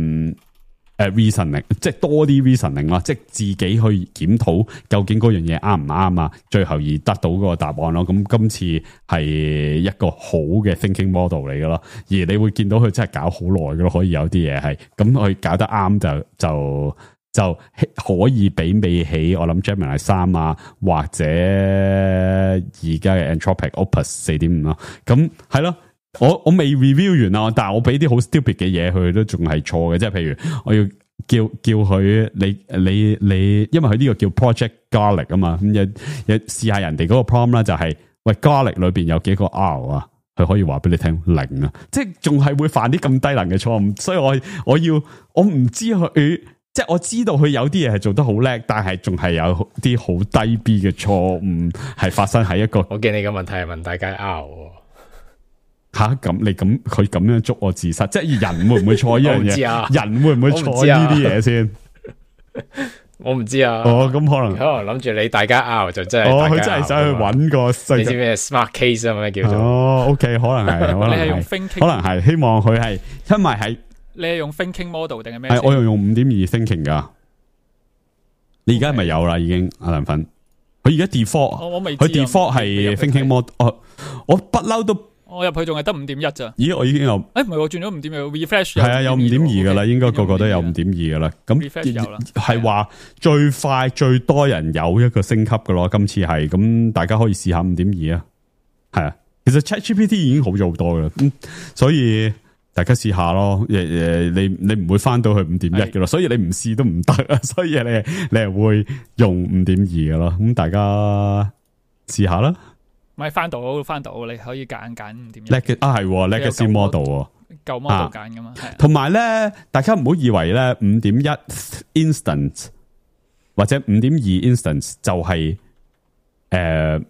Speaker 4: 呃、reasoning，即係多啲 reasoning 咯，即係自己去檢討究竟嗰樣嘢啱唔啱啊，最後而得到嗰個答案咯。咁今次係一個好嘅 thinking model 嚟嘅咯，而你會見到佢真係搞好耐嘅咯，可以有啲嘢係咁佢搞得啱就就就可以媲美起我諗 Gemini 三啊，或者而家嘅 Anthropic Opus 四點五咯。咁係咯，我我未 review 完啊，但係我俾啲好 stupid 嘅嘢佢都仲係錯嘅，即係譬如我要叫叫佢你你你，因為佢呢個叫 Project Garlic 啊嘛，咁有有試下人哋嗰個 prompt 啦，就係、是、喂 Garlic 裏邊有幾個 R 啊，佢可以話俾你聽零啊，即係仲係會犯啲咁低能嘅錯誤，所以我我要我唔知佢。即係我知道佢有啲嘢係做得好叻，但係仲係有啲好低 B 嘅錯誤係發生喺一個。
Speaker 3: 我見你嘅問題係問大家 R
Speaker 4: 吓咁，你咁佢咁樣捉我自殺，即係人會唔會錯呢樣嘢？
Speaker 3: 啊、
Speaker 4: 人會唔會錯呢啲嘢先？
Speaker 3: 我唔知啊。
Speaker 4: 哦，咁可能
Speaker 3: 可能諗住你大家 R 就真係。
Speaker 4: 哦，佢真係想去揾個。
Speaker 3: 你知咩 smart case 啊？咩叫做？
Speaker 4: 哦 ，OK，可能係，可能係，可能係，希望佢係，因為係。
Speaker 1: 你係用 thinking model 定係咩？
Speaker 4: 係我用用五點二 thinking 噶。你而家係咪有啦？已經阿梁粉，佢而家 default，
Speaker 1: 我未，
Speaker 4: 佢 default 係 thinking model。我我不嬲都，
Speaker 1: 我入去仲係得五點一咋？
Speaker 4: 咦，我已經有，
Speaker 1: 誒唔係我轉咗五點二 refresh。
Speaker 4: 係啊，有五點二噶啦，應該個個都有五點二噶啦。咁係話最快最多人有一個升級噶咯。今次係咁，大家可以試下五點二啊。係啊，其實 ChatGPT 已經好咗好多噶啦。咁所以。大家試下咯，誒誒，你你唔會翻到去五點一嘅咯，所以你唔試都唔得啊，所以你你係會用五點二嘅咯，咁大家試下啦。
Speaker 1: 咪翻到翻到，你可以揀揀五點一。
Speaker 4: 叻嘅啊係 Legacy Model
Speaker 1: 舊 model 揀噶嘛，
Speaker 4: 同埋咧，大家唔好以為咧五點一 instance 或者五點二 instance 就係誒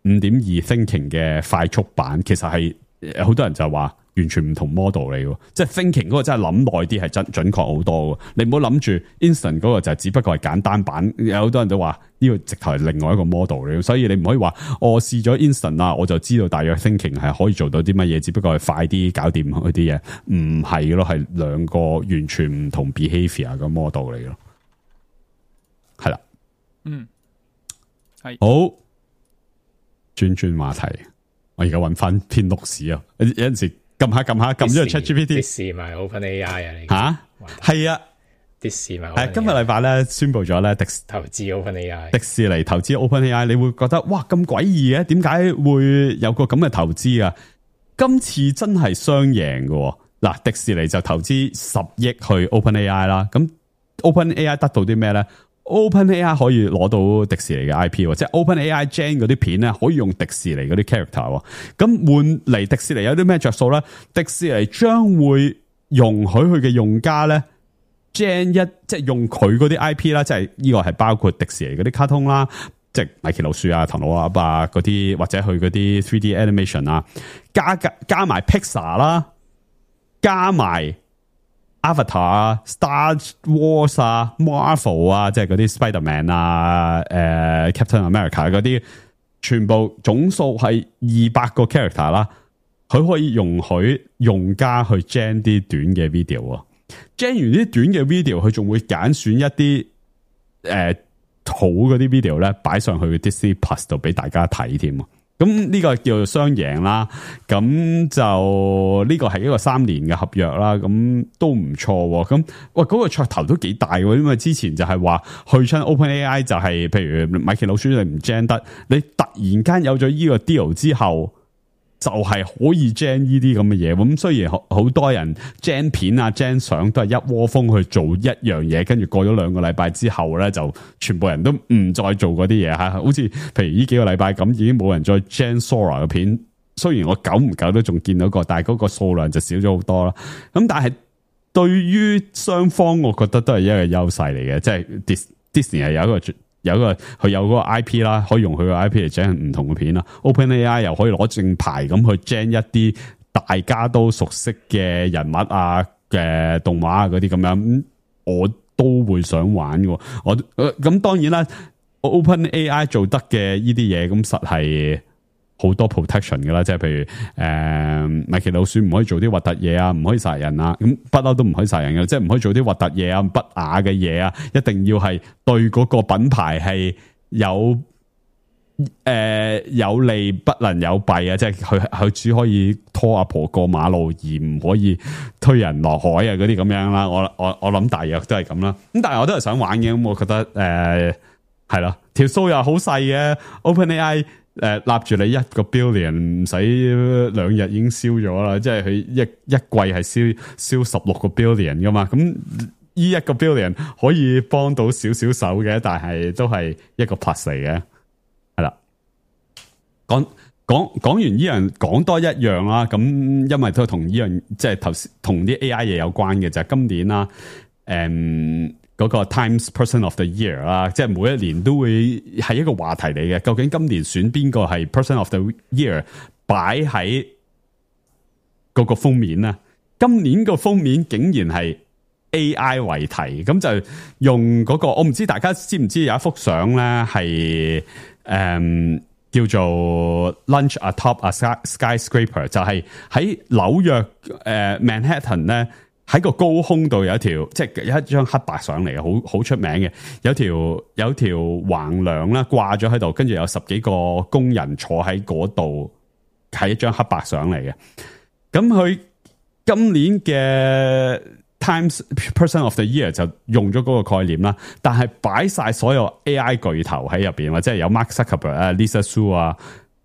Speaker 4: 五點二 thinking 嘅快速版，其實係好多人就話。完全唔同 model 嚟嘅，即係 thinking 嗰個真係諗耐啲係真準確好多嘅。你唔好諗住 instant 嗰個就只不過係簡單版，有好多人都話呢個直頭係另外一個 model 嚟，所以你唔可以話我試咗 instant 啊，我就知道大約 thinking 係可以做到啲乜嘢，只不過係快啲搞掂嗰啲嘢，唔係咯，係兩個完全唔同 behavior 嘅 model 嚟咯，係啦，
Speaker 1: 嗯，係
Speaker 4: 好，轉轉話題，我而家揾翻篇錄史啊，有陣時。撳下撳下撳咗個 ChatGPT，
Speaker 3: 迪士尼 OpenAI 啊，你
Speaker 4: 吓係啊，
Speaker 3: 迪士尼
Speaker 4: 係今日禮拜咧宣布咗咧，迪
Speaker 3: 投資 OpenAI，
Speaker 4: 迪士尼投資 OpenAI，你會覺得哇咁詭異嘅，點解會有個咁嘅投資啊？今次真係雙贏嘅，嗱，迪士尼就投資十億去 OpenAI 啦，咁 OpenAI 得到啲咩咧？OpenAI 可以攞到迪士尼嘅 I P， 即係 OpenAI Gen 嗰啲片咧，可以用迪士尼嗰啲 character。咁換嚟迪士尼有啲咩着數咧？迪士尼將會容許佢嘅用家咧 Gen 一，即係用佢嗰啲 I P 啦，即係呢個係包括迪士尼嗰啲卡通啦，即係米奇老鼠啊、唐老鴨啊嗰啲，或者佢嗰啲 three D animation 啊，加加加埋 Pixar 啦，加埋。Avatar 啊 ，Star Wars 啊 ，Marvel 啊，即係嗰啲 Spider-Man 啊，誒、呃、，Captain America 嗰啲，全部總數係二百個 character 啦。佢可以容許用家去 gen 啲短嘅 video，gen 完啲短嘅 video，佢仲會揀選一啲誒、呃、好嗰啲 video 咧，擺上去 Disney Plus 度俾大家睇添。咁呢個叫做雙贏啦，咁就呢個係一個三年嘅合約啦，咁都唔錯。咁喂，嗰個噱頭都幾大喎，因為之前就係話去親 OpenAI 就係、是，譬如米奇老鼠你唔 gen 得，你突然間有咗呢個 deal 之後，就係、是、可以 gen 呢啲咁嘅嘢。咁雖然好多人 gen 片啊 gen 相都係一窩蜂去做一樣嘢，跟住過咗兩個禮拜之後咧，就全部人都唔再做嗰啲嘢吓。好似譬如呢幾個禮拜咁，已經冇人再 gen Sora 嘅片，雖然我久唔久都仲見到過，但係嗰個數量就少咗好多啦。咁但係對於雙方，我覺得都係一個優勢嚟嘅，即係 Disney 係有一個有一個佢有嗰個 I P 啦，可以用佢個 I P 嚟整唔同嘅片啦。OpenAI 又可以攞正牌咁去 gen 一啲大家都熟悉嘅人物啊嘅動畫啊嗰啲咁樣，我都會想玩嘅。我咁當然啦 ，OpenAI 做得嘅呢啲嘢，咁實係好多 protection 㗎啦，即係譬如誒米奇老鼠唔可以做啲核突嘢啊，唔可以殺人啊，咁不嬲都唔可以殺人嘅，即係唔可以做啲核突嘢啊、不雅嘅嘢啊，一定要係對嗰個品牌係有誒、呃、有利不能有弊啊，即係佢佢只可以拖阿婆過馬路，而唔可以推人落海啊嗰啲咁樣啦。我我我諗大約都係咁啦。咁但係我都係想玩嘅，咁我覺得誒係咯，條數又好細嘅 OpenAI。誒，立住你一個 billion 唔使兩日已經燒咗啦，即係佢一一季係燒燒十六個 billion 噶嘛，咁呢一個 billion 可以幫到少少手嘅，但係都係一個 plus 嚟嘅，係啦。講講講完呢樣，講多一樣啦，咁因為都同呢樣即係頭先同啲 A I 嘢有關嘅，就係、是、今年啦，誒、嗯。嗰個 Times Person of the Year 啦，即係每一年都會係一個話題嚟嘅。究竟今年選邊個係 Person of the Year 擺喺嗰個封面啊？今年個封面竟然係 A I 為題，咁就用嗰個我唔知大家知唔知有一幅相咧係誒叫做 Lunch Atop a Skyscraper， 就係喺紐約誒、呃、Manhattan 咧。喺個高空度有一條，即係有一張黑白相嚟嘅，好好出名嘅。有條有條橫梁啦，掛咗喺度，跟住有十幾個工人坐喺嗰度，係一張黑白相嚟嘅。咁佢今年嘅 Times Person of the Year 就用咗嗰個概念啦，但係擺晒所有 A I 巨頭喺入邊，或者有 Mark Zuckerberg 啊、Lisa Su 啊。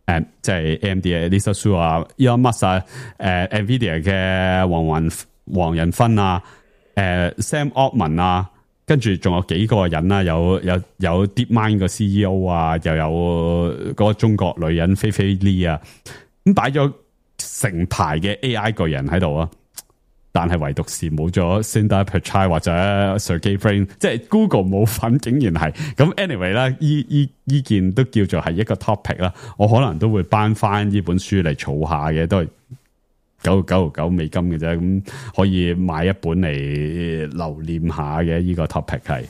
Speaker 4: 誒，即係 A M D 嘅 Lisa Su 啊 ，Elon Musk 啊，誒 ，Nvidia 嘅黃雲。黃仁勳啊，誒、呃、Sam Altman 啊，跟住仲有幾個人啦，有有有 DeepMind 個 C E O 啊，又有嗰個中國女人菲菲 Li 啊，咁擺咗成排嘅 A I 巨人喺度啊，但係唯獨是冇咗 Sundar Pichai 或者 Sergey Brin， 即係 Google 冇份，竟然係咁。anyway 啦，依依依件都叫做係一個 topic 啦，我可能都會頒翻呢本書嚟儲下嘅，都係。九九九美金嘅啫，咁可以買一本嚟留念下嘅。呢個 topic 係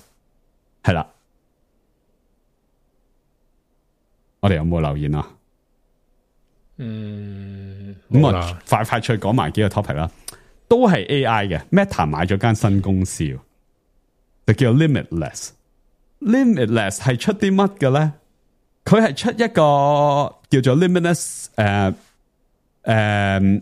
Speaker 4: 係啦，我哋有冇留言啊？
Speaker 3: 嗯，
Speaker 4: 咁我快快脆講埋幾個 topic 啦，都係 A I 嘅。Meta 買咗間新公司，就叫 Limitless。Limitless 係出啲乜嘅咧？佢係出一個叫做 Limitless 誒、呃、誒。呃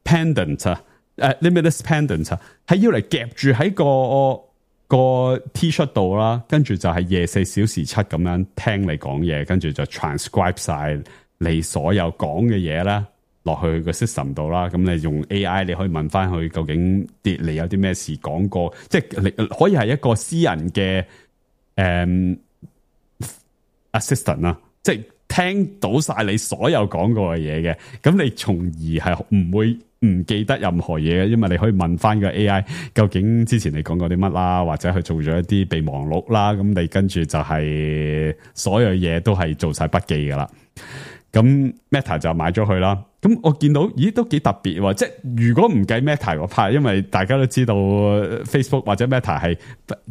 Speaker 4: pendant 啊，誒 limitless pendant 啊，係要嚟夾住喺個個 T 恤度啦，跟住就係廿四小時七咁樣聽你講嘢，跟住就 transcribe 晒你所有講嘅嘢啦，落去個 system 度啦。咁你用 A I 你可以問翻佢究竟啲你有啲咩事講過，即係你可以係一個私人嘅誒、嗯、assistant 啦，即係聽到晒你所有講過嘅嘢嘅，咁你從而係唔會唔記得任何嘢嘅，因為你可以問翻個 A I 究竟之前你講過啲乜啦，或者佢做咗一啲備忘錄啦，咁你跟住就係所有嘢都係做晒筆記噶啦。咁 Meta 就買咗佢啦。咁我見到，咦，都幾特別喎！即係如果唔計 Meta 嗰 part，因為大家都知道 Facebook 或者 Meta 係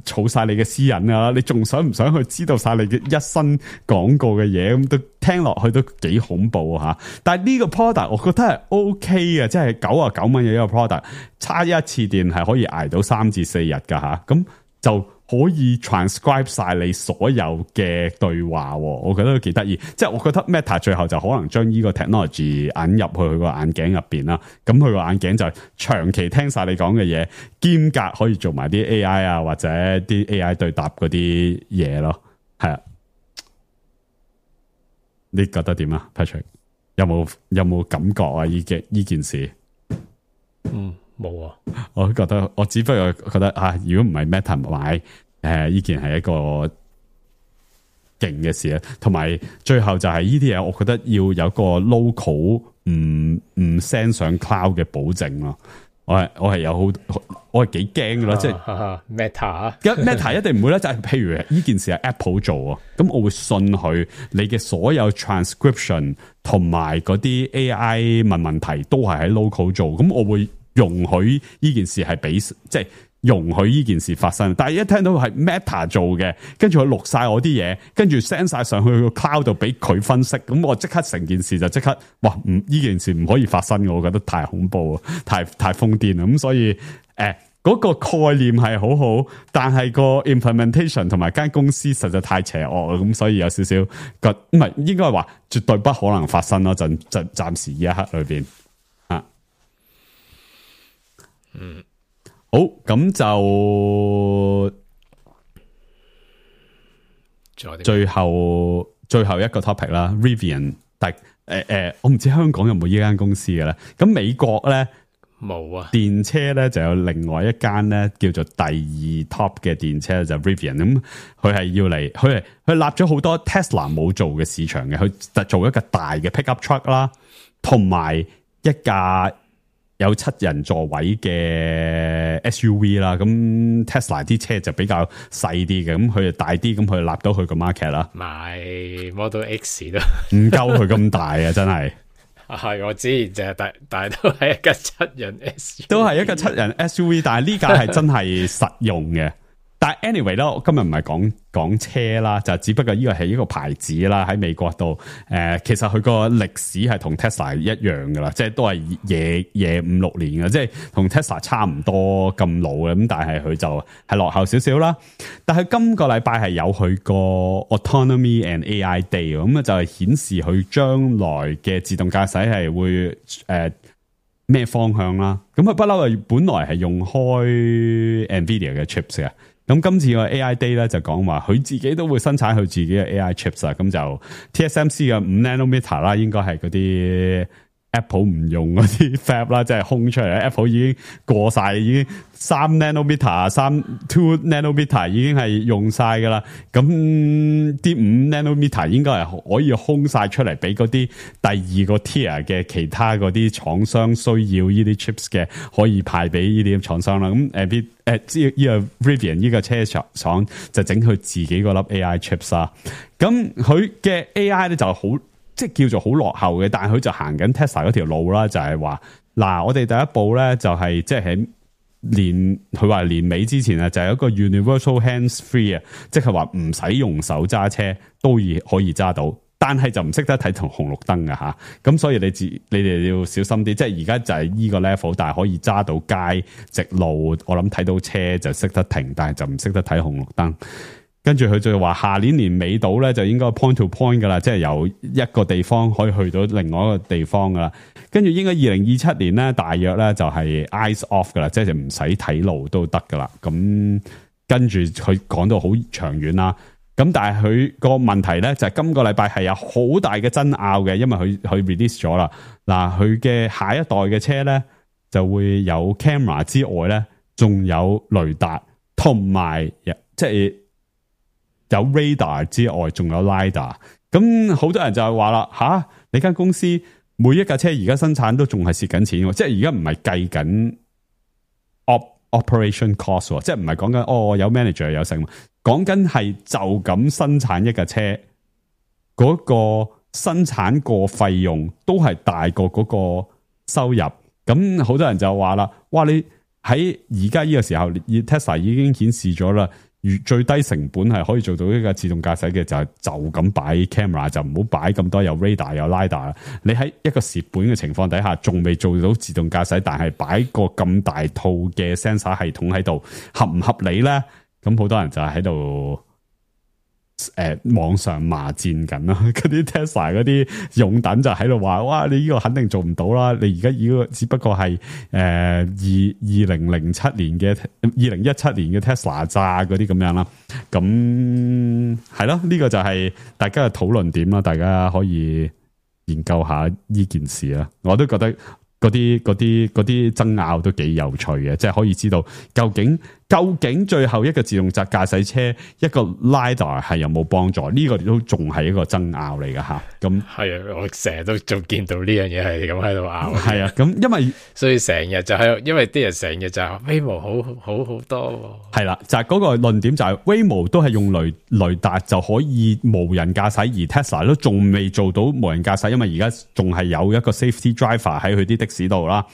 Speaker 4: 儲晒你嘅私隱啊，你仲想唔想去知道晒你嘅一生講過嘅嘢？咁都聽落去都幾恐怖吓。但係呢個 product 我覺得係 OK 嘅，即係九啊九蚊嘅一個 product， 差一次電係可以捱到三至四日噶吓。咁就可以 transcribe 晒你所有嘅對話，我覺得都幾得意。即係我覺得 Meta 最後就可能將呢個 technology 引入去佢個眼鏡入邊啦。咁佢個眼鏡就長期聽晒你講嘅嘢，兼夾可以做埋啲 A I 啊，或者啲 A I 對答嗰啲嘢咯。係啊，你覺得點啊 Patrick？ 有冇有冇感覺啊？呢件呢件事？
Speaker 3: 嗯。冇啊！
Speaker 4: 我覺得我只不過覺得啊，如果唔係 Meta 買誒，呢件係一個勁嘅事啊。同埋最後就係呢啲嘢，我覺得要有個 local 唔唔 send 上 cloud 嘅保證咯。我係我係有好，我係幾驚嘅咯，即係
Speaker 3: Meta
Speaker 4: Meta 一定唔會咧，就係譬如呢件事係 Apple 做啊，咁我會信佢，你嘅所有 transcription 同埋嗰啲 A I 問問題都係喺 local 做，咁我會容許呢件事係俾即係容許呢件事發生。但係一聽到係 Meta 做嘅，跟住佢錄晒我啲嘢，跟住 send 晒上去個 cloud 度俾佢分析，咁我即刻成件事就即刻，哇！唔呢件事唔可以發生嘅，我覺得太恐怖啊，太太瘋癲啦。咁所以誒，嗰、呃嗰個概念係好好，但係個 implementation 同埋間公司實在太邪惡，咁所以有少少個唔係應該話絕對不可能發生咯。陣陣暫時呢一刻裏邊啊，嗯。好，咁就最後最後一個 topic 啦 ，Rivian， 但誒誒，我唔知香港有冇呢間公司嘅咧。咁美國咧
Speaker 3: 冇啊，
Speaker 4: 電車咧就有另外一間咧叫做第二 top 嘅電車就 Rivian， 咁佢係要嚟，佢係佢立咗好多 Tesla 冇做嘅市場嘅，佢就做一個大嘅 pickup truck 啦，同埋一架有七人座位嘅 S U V 啦，咁 Tesla 啲車就比較細啲嘅，咁佢就大啲，咁佢立到佢個 market 啦。
Speaker 3: 買 Model X 都
Speaker 4: 唔夠佢咁大啊，真係。
Speaker 3: 係我知，就係但但係都係一架七人 S U V，
Speaker 4: 都係一個七人 S U V， 但係呢架係真係實用嘅。但係 anyway 啦，我今日唔係講講車啦，就只不過呢個係一個牌子啦，喺美國度，誒、呃，其實佢個歷史係同 Tesla 一樣噶啦，即係都係夜夜五六年嘅，即係同 Tesla 差唔多咁老嘅，咁但係佢就係落後少少啦。但係今個禮拜係有佢個 Autonomy and A I Day， 咁啊就係顯示佢將來嘅自動駕駛係會誒咩、呃、方向啦。咁佢不嬲係本來係用開 Nvidia 嘅 chips 嘅。咁今次個 A I Day 咧就講話佢自己都會生產佢自己嘅 A I chips 啊，咁就 T S M C 嘅五 nanometer 啦，應該係嗰啲 Apple 唔用嗰啲 fab 啦，即係空出嚟。Apple 已經過晒，已經三 nanometer、三 two nanometer 已經係用晒噶啦。咁啲五 nanometer 應該係可以空晒出嚟，俾嗰啲第二個 tier 嘅其他嗰啲廠商需要呢啲 chips 嘅，可以派俾呢啲廠商啦。咁誒，誒，呢個 Rivian 呢個車廠就整佢自己嗰粒 A I chips 啦。咁佢嘅 A I 咧就好。即係叫做好落後嘅，但係佢就行緊 Tesla 嗰條路啦，就係話嗱，我哋第一步咧就係即係喺年佢話年尾之前啊，就係一個 universal hands free 啊，即係話唔使用手揸車都可以揸到，但係就唔識得睇同紅綠燈㗎吓，咁所以你自你哋要小心啲，即係而家就係呢個 level， 但係可以揸到街直路，我諗睇到車就識得停，但係就唔識得睇紅綠燈。跟住佢就話下年年尾到咧就應該 point to point 噶啦，即係由一個地方可以去到另外一個地方噶啦。跟住應該二零二七年咧大約咧就係 eyes off 噶啦，即係唔使睇路都得噶啦。咁跟住佢講到好長遠啦。咁但係佢個問題咧就係今個禮拜係有好大嘅爭拗嘅，因為佢佢 release 咗啦。嗱，佢嘅下一代嘅車咧就會有 camera 之外咧，仲有雷達同埋即係。有 radar 之外，仲有 lidar， 咁好多人就係話啦，吓、啊、你間公司每一架車而家生產都仲係蝕緊錢，即係而家唔係計緊 op operation cost， 即係唔係講緊哦有 manager 有成，講緊係就咁生產一架車，嗰、那個生產個費用都係大過嗰個收入，咁好多人就話啦，哇你喺而家呢個時候 ，Tesla 已經顯示咗啦。最低成本係可以做到一個自動駕駛嘅，就係就咁擺 camera， 就唔好擺咁多有 radar 有 lidar。你喺一個蝕本嘅情況底下，仲未做到自動駕駛，但係擺個咁大套嘅 sensor 系統喺度，合唔合理咧？咁好多人就喺度誒網上罵戰緊啦，嗰啲 Tesla 嗰啲擁躉就喺度話：哇！你呢個肯定做唔到啦！你而家呢個只不過係誒二二零零七年嘅二零一七年嘅 Tesla 咋嗰啲咁樣啦。咁係咯，呢、這個就係大家嘅討論點啦。大家可以研究下呢件事啦。我都覺得嗰啲嗰啲嗰啲爭拗都幾有趣嘅，即係可以知道究竟究竟最後一個自動駕駕駛車一個 lidar 係有冇幫助？呢、這個都仲係一個爭拗嚟㗎吓。咁
Speaker 3: 係啊，我成日都仲見到呢樣嘢係咁喺度拗。
Speaker 4: 係啊，咁因為
Speaker 3: 所以成日就係、是、因為啲人成日就話 Waymo 好好好多。係
Speaker 4: 啦，就係、是、嗰個論點就係、是、Waymo 都係用雷雷達就可以無人駕駛，而 Tesla 都仲未做到無人駕駛，因為而家仲係有一個 safety driver 喺佢啲的士度啦。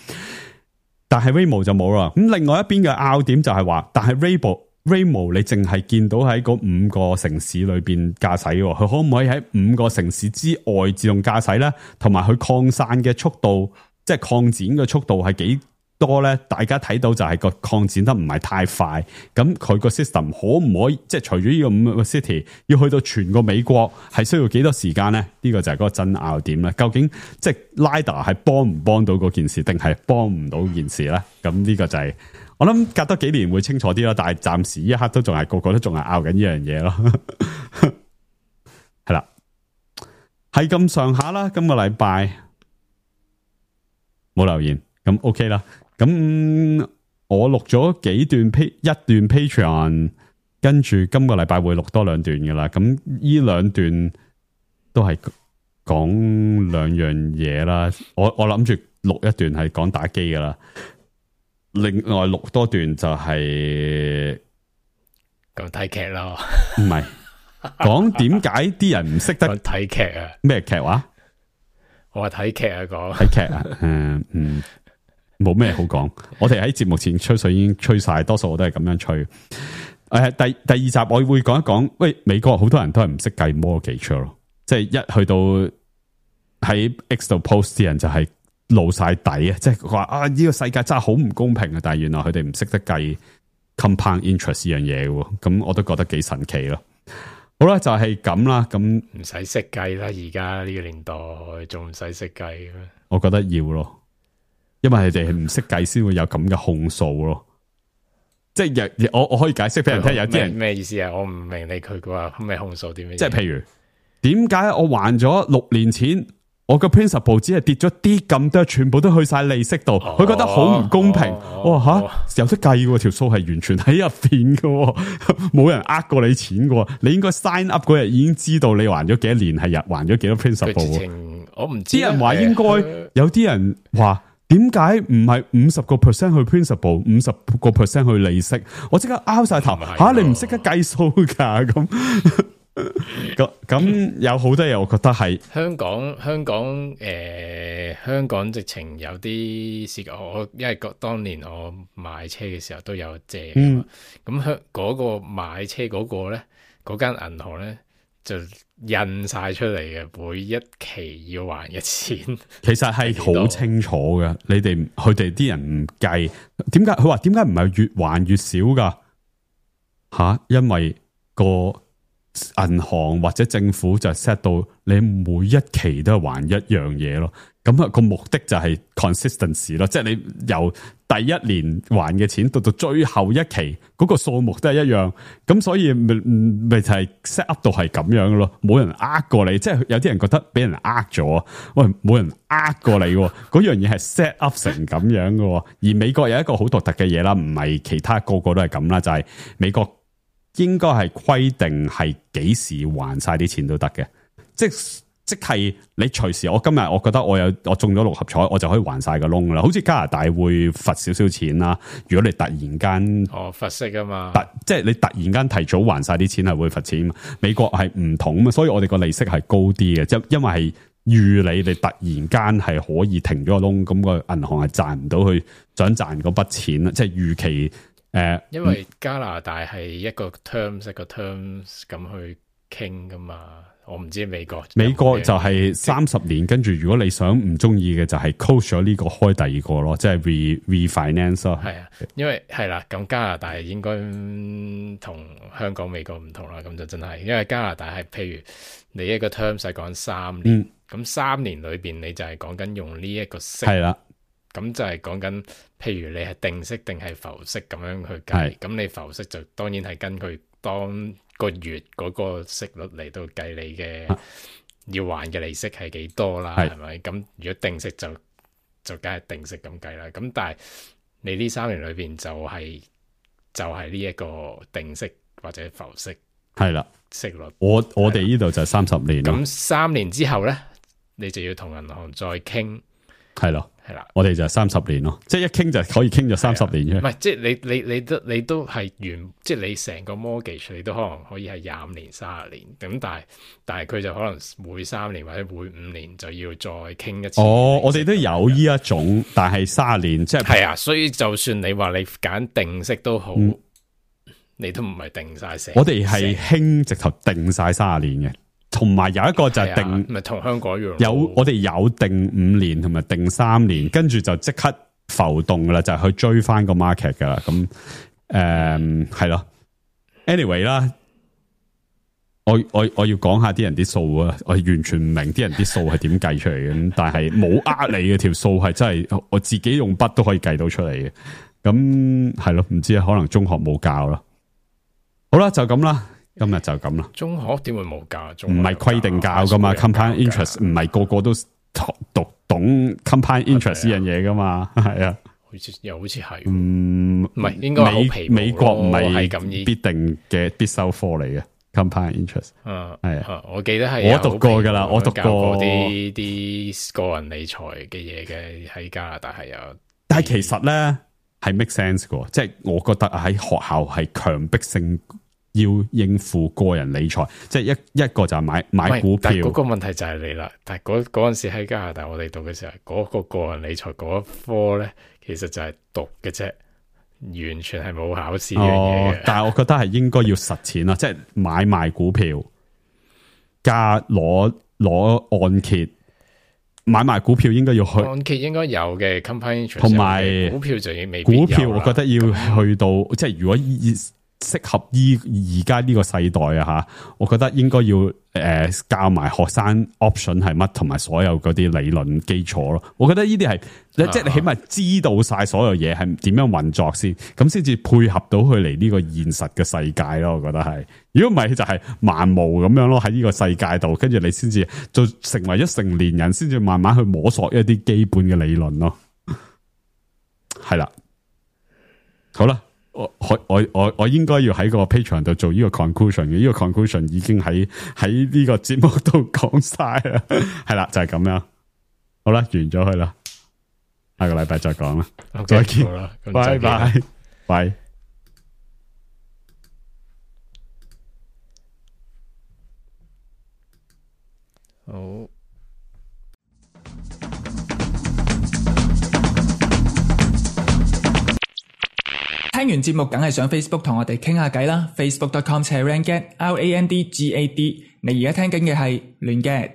Speaker 4: 但係 Waymo 就冇啦。咁另外一邊嘅拗點就係話，但係 Waymo Waymo 你淨係見到喺嗰五個城市裏邊駕駛，佢可唔可以喺五個城市之外自動駕駛咧？同埋佢擴散嘅速度，即係擴展嘅速度係幾多咧？大家睇到就係個擴展得唔係太快。咁佢個 system 可唔可以即係除咗呢個五個 city 要去到全個美國係需要幾多時間咧？呢個就係嗰個爭拗點啦。究竟即係 lidar 係幫唔幫到嗰件事，定係幫唔到件事咧？咁呢個就係、是。我諗隔多幾年會清楚啲啦，但係暫時一刻都仲係個個都仲係拗緊呢樣嘢咯。係啦，係咁上下啦。今個禮拜冇留言，咁 OK 啦。咁我錄咗幾段 P 一段 Patreon， 跟住今個禮拜會錄多兩段噶啦。咁呢兩段都係講兩樣嘢啦。我我諗住錄一段係講打機噶啦。另外錄多段就係
Speaker 3: 講睇劇咯，
Speaker 4: 唔係講點解啲人唔識得
Speaker 3: 睇劇啊？
Speaker 4: 咩劇話？
Speaker 3: 我話睇劇啊，講
Speaker 4: 睇劇啊，嗯嗯，冇咩好講。我哋喺節目前吹水已經吹晒，多數我都係咁樣吹。誒、呃，第第二集我會講一講，喂，美國好多人都係唔識計 mortgage 咯，即係一去到喺 X 度 post 啲人就係、是。露晒底啊！即係話啊，呢、這個世界真係好唔公平啊！但係原來佢哋唔識得計 compound interest 呢樣嘢嘅，咁我都覺得幾神奇咯。好啦，就係咁啦。咁
Speaker 3: 唔使識計啦，而家呢個年代仲唔使識計咩？
Speaker 4: 我覺得要咯，因為佢哋係唔識計先會有咁嘅控訴咯。即係我我可以解釋俾人聽，有啲人
Speaker 3: 咩意思啊？我唔明你佢話咩控訴點樣？
Speaker 4: 即係譬如點解我還咗六年錢？我個 principal 只係跌咗啲咁多，全部都去晒利息度，佢、哦、覺得好唔公平。哇吓、哦，有得計嘅條數係完全喺入邊嘅，冇人呃過你錢嘅。你應該 sign up 嗰日已經知道你還咗幾多年，係日還咗幾多 principal。
Speaker 3: 我唔知。啲
Speaker 4: 人話應該有啲人話，點解唔係五十個 percent 去 principal， 五十個 percent 去利息？我即刻拗晒頭吓、啊，你唔識得計數噶咁。咁咁有好多嘢，我覺得係
Speaker 3: 香港香港誒、呃，香港直情有啲時間，我因為個當年我買車嘅時候都有借嘅嘛，咁香嗰個買車嗰個咧，嗰間銀行咧就印晒出嚟嘅，每一期要還嘅錢，
Speaker 4: 其實係好清楚嘅。你哋佢哋啲人唔計，點解佢話點解唔係越還越少噶？吓、啊，因為個。銀行或者政府就 set 到你每一期都係還一樣嘢咯，咁啊個目的就係 consistency 咯，即係你由第一年還嘅錢到到最後一期嗰個數目都係一樣，咁所以咪咪就係 set up 到係咁樣咯，冇人呃過你，即係有啲人覺得俾人呃咗，喂，冇人呃過你，嗰樣嘢係 set up 成咁樣嘅，而美國有一個好獨特嘅嘢啦，唔係其他個個都係咁啦，就係美國。應該係規定係幾時還晒啲錢都得嘅，即即係你隨時。我今日我覺得我有我中咗六合彩，我就可以還晒個窿啦。好似加拿大會罰少少錢啦，如果你突然間
Speaker 3: 哦罰息啊嘛，
Speaker 4: 即係你突然間提早還晒啲錢係會罰錢。美國係唔同啊，所以我哋個利息係高啲嘅，即因為係預你你突然間係可以停咗個窿，咁個銀行係賺唔到去想賺嗰筆錢啦，即係預期。誒、呃，
Speaker 3: 因為加拿大係一個 terms 一個 terms 咁去傾噶嘛，我唔知美國。
Speaker 4: 美國就係三十年，跟住如果你想唔中意嘅就係 close 咗呢個開第二個咯，即係 re refinance 咯。係啊，
Speaker 3: 因為係啦，咁加拿大應該同香港、美國唔同啦，咁就真係，因為加拿大係譬如你一個 terms 係講三年，咁、嗯、三年裏邊你就係講緊用呢一個息。係啦。咁就係講緊，譬如你係定息定係浮息咁樣去計，咁你浮息就當然係根據當個月嗰個息率嚟到計你嘅要還嘅利息係幾多啦，係咪？咁如果定息就就梗係定息咁計啦。咁但係你呢三年裏邊就係就係呢一個定息或者浮息
Speaker 4: 係啦，
Speaker 3: 息率。
Speaker 4: 我我哋呢度就三十年咯。
Speaker 3: 咁三年之後咧，你就要同銀行再傾。
Speaker 4: 係咯，
Speaker 3: 係啦，
Speaker 4: 我哋就三十年咯，即係一傾就可以傾咗三十年啫。
Speaker 3: 唔係，即係你你你都你都係原，即係你成個 mortgage 你都可能可以係廿五年、三十年。咁但係但係佢就可能每三年或者每五年就要再傾一次。
Speaker 4: 哦，我哋都有呢一種，但係三十年即係
Speaker 3: 係啊，所以就算你話你揀定息都好，
Speaker 4: 嗯、
Speaker 3: 你都唔係定晒成。
Speaker 4: 我哋係興直頭定晒三十年嘅。同埋有一個就係定，
Speaker 3: 咪同、啊、香港一樣。
Speaker 4: 有我哋有定五年同埋定三年，跟住就即刻浮動噶啦，就係、去追翻個 market 噶啦。咁誒係咯 ，anyway 啦，我我我要講下啲人啲數啊，我完全唔明啲人啲數係點計出嚟嘅。咁但係冇呃你嘅條數係真係我自己用筆都可以計到出嚟嘅。咁係咯，唔知啊，可能中學冇教咯。好啦，就咁啦。今日就咁啦。中
Speaker 3: 學點會冇教？
Speaker 4: 唔係規定教噶嘛 ，compound interest 唔係個個都讀懂 compound interest 呢樣嘢噶嘛，係啊。
Speaker 3: 好似又好似係，
Speaker 4: 嗯，
Speaker 3: 唔係應該好皮
Speaker 4: 美國唔係
Speaker 3: 咁
Speaker 4: 必定嘅必修科嚟嘅 compound interest。
Speaker 3: 嗯，
Speaker 4: 係啊，
Speaker 3: 我記得係
Speaker 4: 我讀過噶啦，我讀過
Speaker 3: 啲啲個人理財嘅嘢嘅喺加拿大係有。
Speaker 4: 但係其實咧係 make sense 嘅，即係我覺得喺學校係強迫性。要應付個人理財，即係一一個就係買買股票。
Speaker 3: 嗰個問題就係你啦。但係嗰嗰陣時喺加拿大，我哋讀嘅時候，嗰、嗰個個人理財嗰一科咧，其實就係讀嘅啫，完全係冇考試呢樣嘢嘅。但係我覺得係應該要實踐啦，即係買賣股票加攞攞按揭，買賣股票應該要去按揭應該有嘅 compound interest，同埋股票就已經未必有啦。股票我覺得要去到，即係如果以適合依而家呢個世代啊吓，我覺得應該要誒、呃、教埋學生 option 係乜，同埋所有嗰啲理論基礎咯。我覺得呢啲係即係你起碼知道晒所有嘢係點樣運作先，咁先至配合到佢嚟呢個現實嘅世界咯。我覺得係，如果唔係就係盲毛咁樣咯，喺呢個世界度，跟住你先至就成為咗成年人，先至慢慢去摸索一啲基本嘅理論咯。係啦，好啦。我我我我應該要喺個 Patreon 度做呢個 conclusion 嘅，呢、這個 conclusion 已經喺喺呢個節目度講晒啦，係啦，就係、是、咁樣。好啦，完咗佢啦，下個禮拜再講啦，okay, 再見，拜拜，拜。好。
Speaker 1: 聽完節目梗係上 Facebook 同我哋傾下偈啦 ，facebook dot com slash randgad R A N D G A D。你而家聽緊嘅係亂 gad。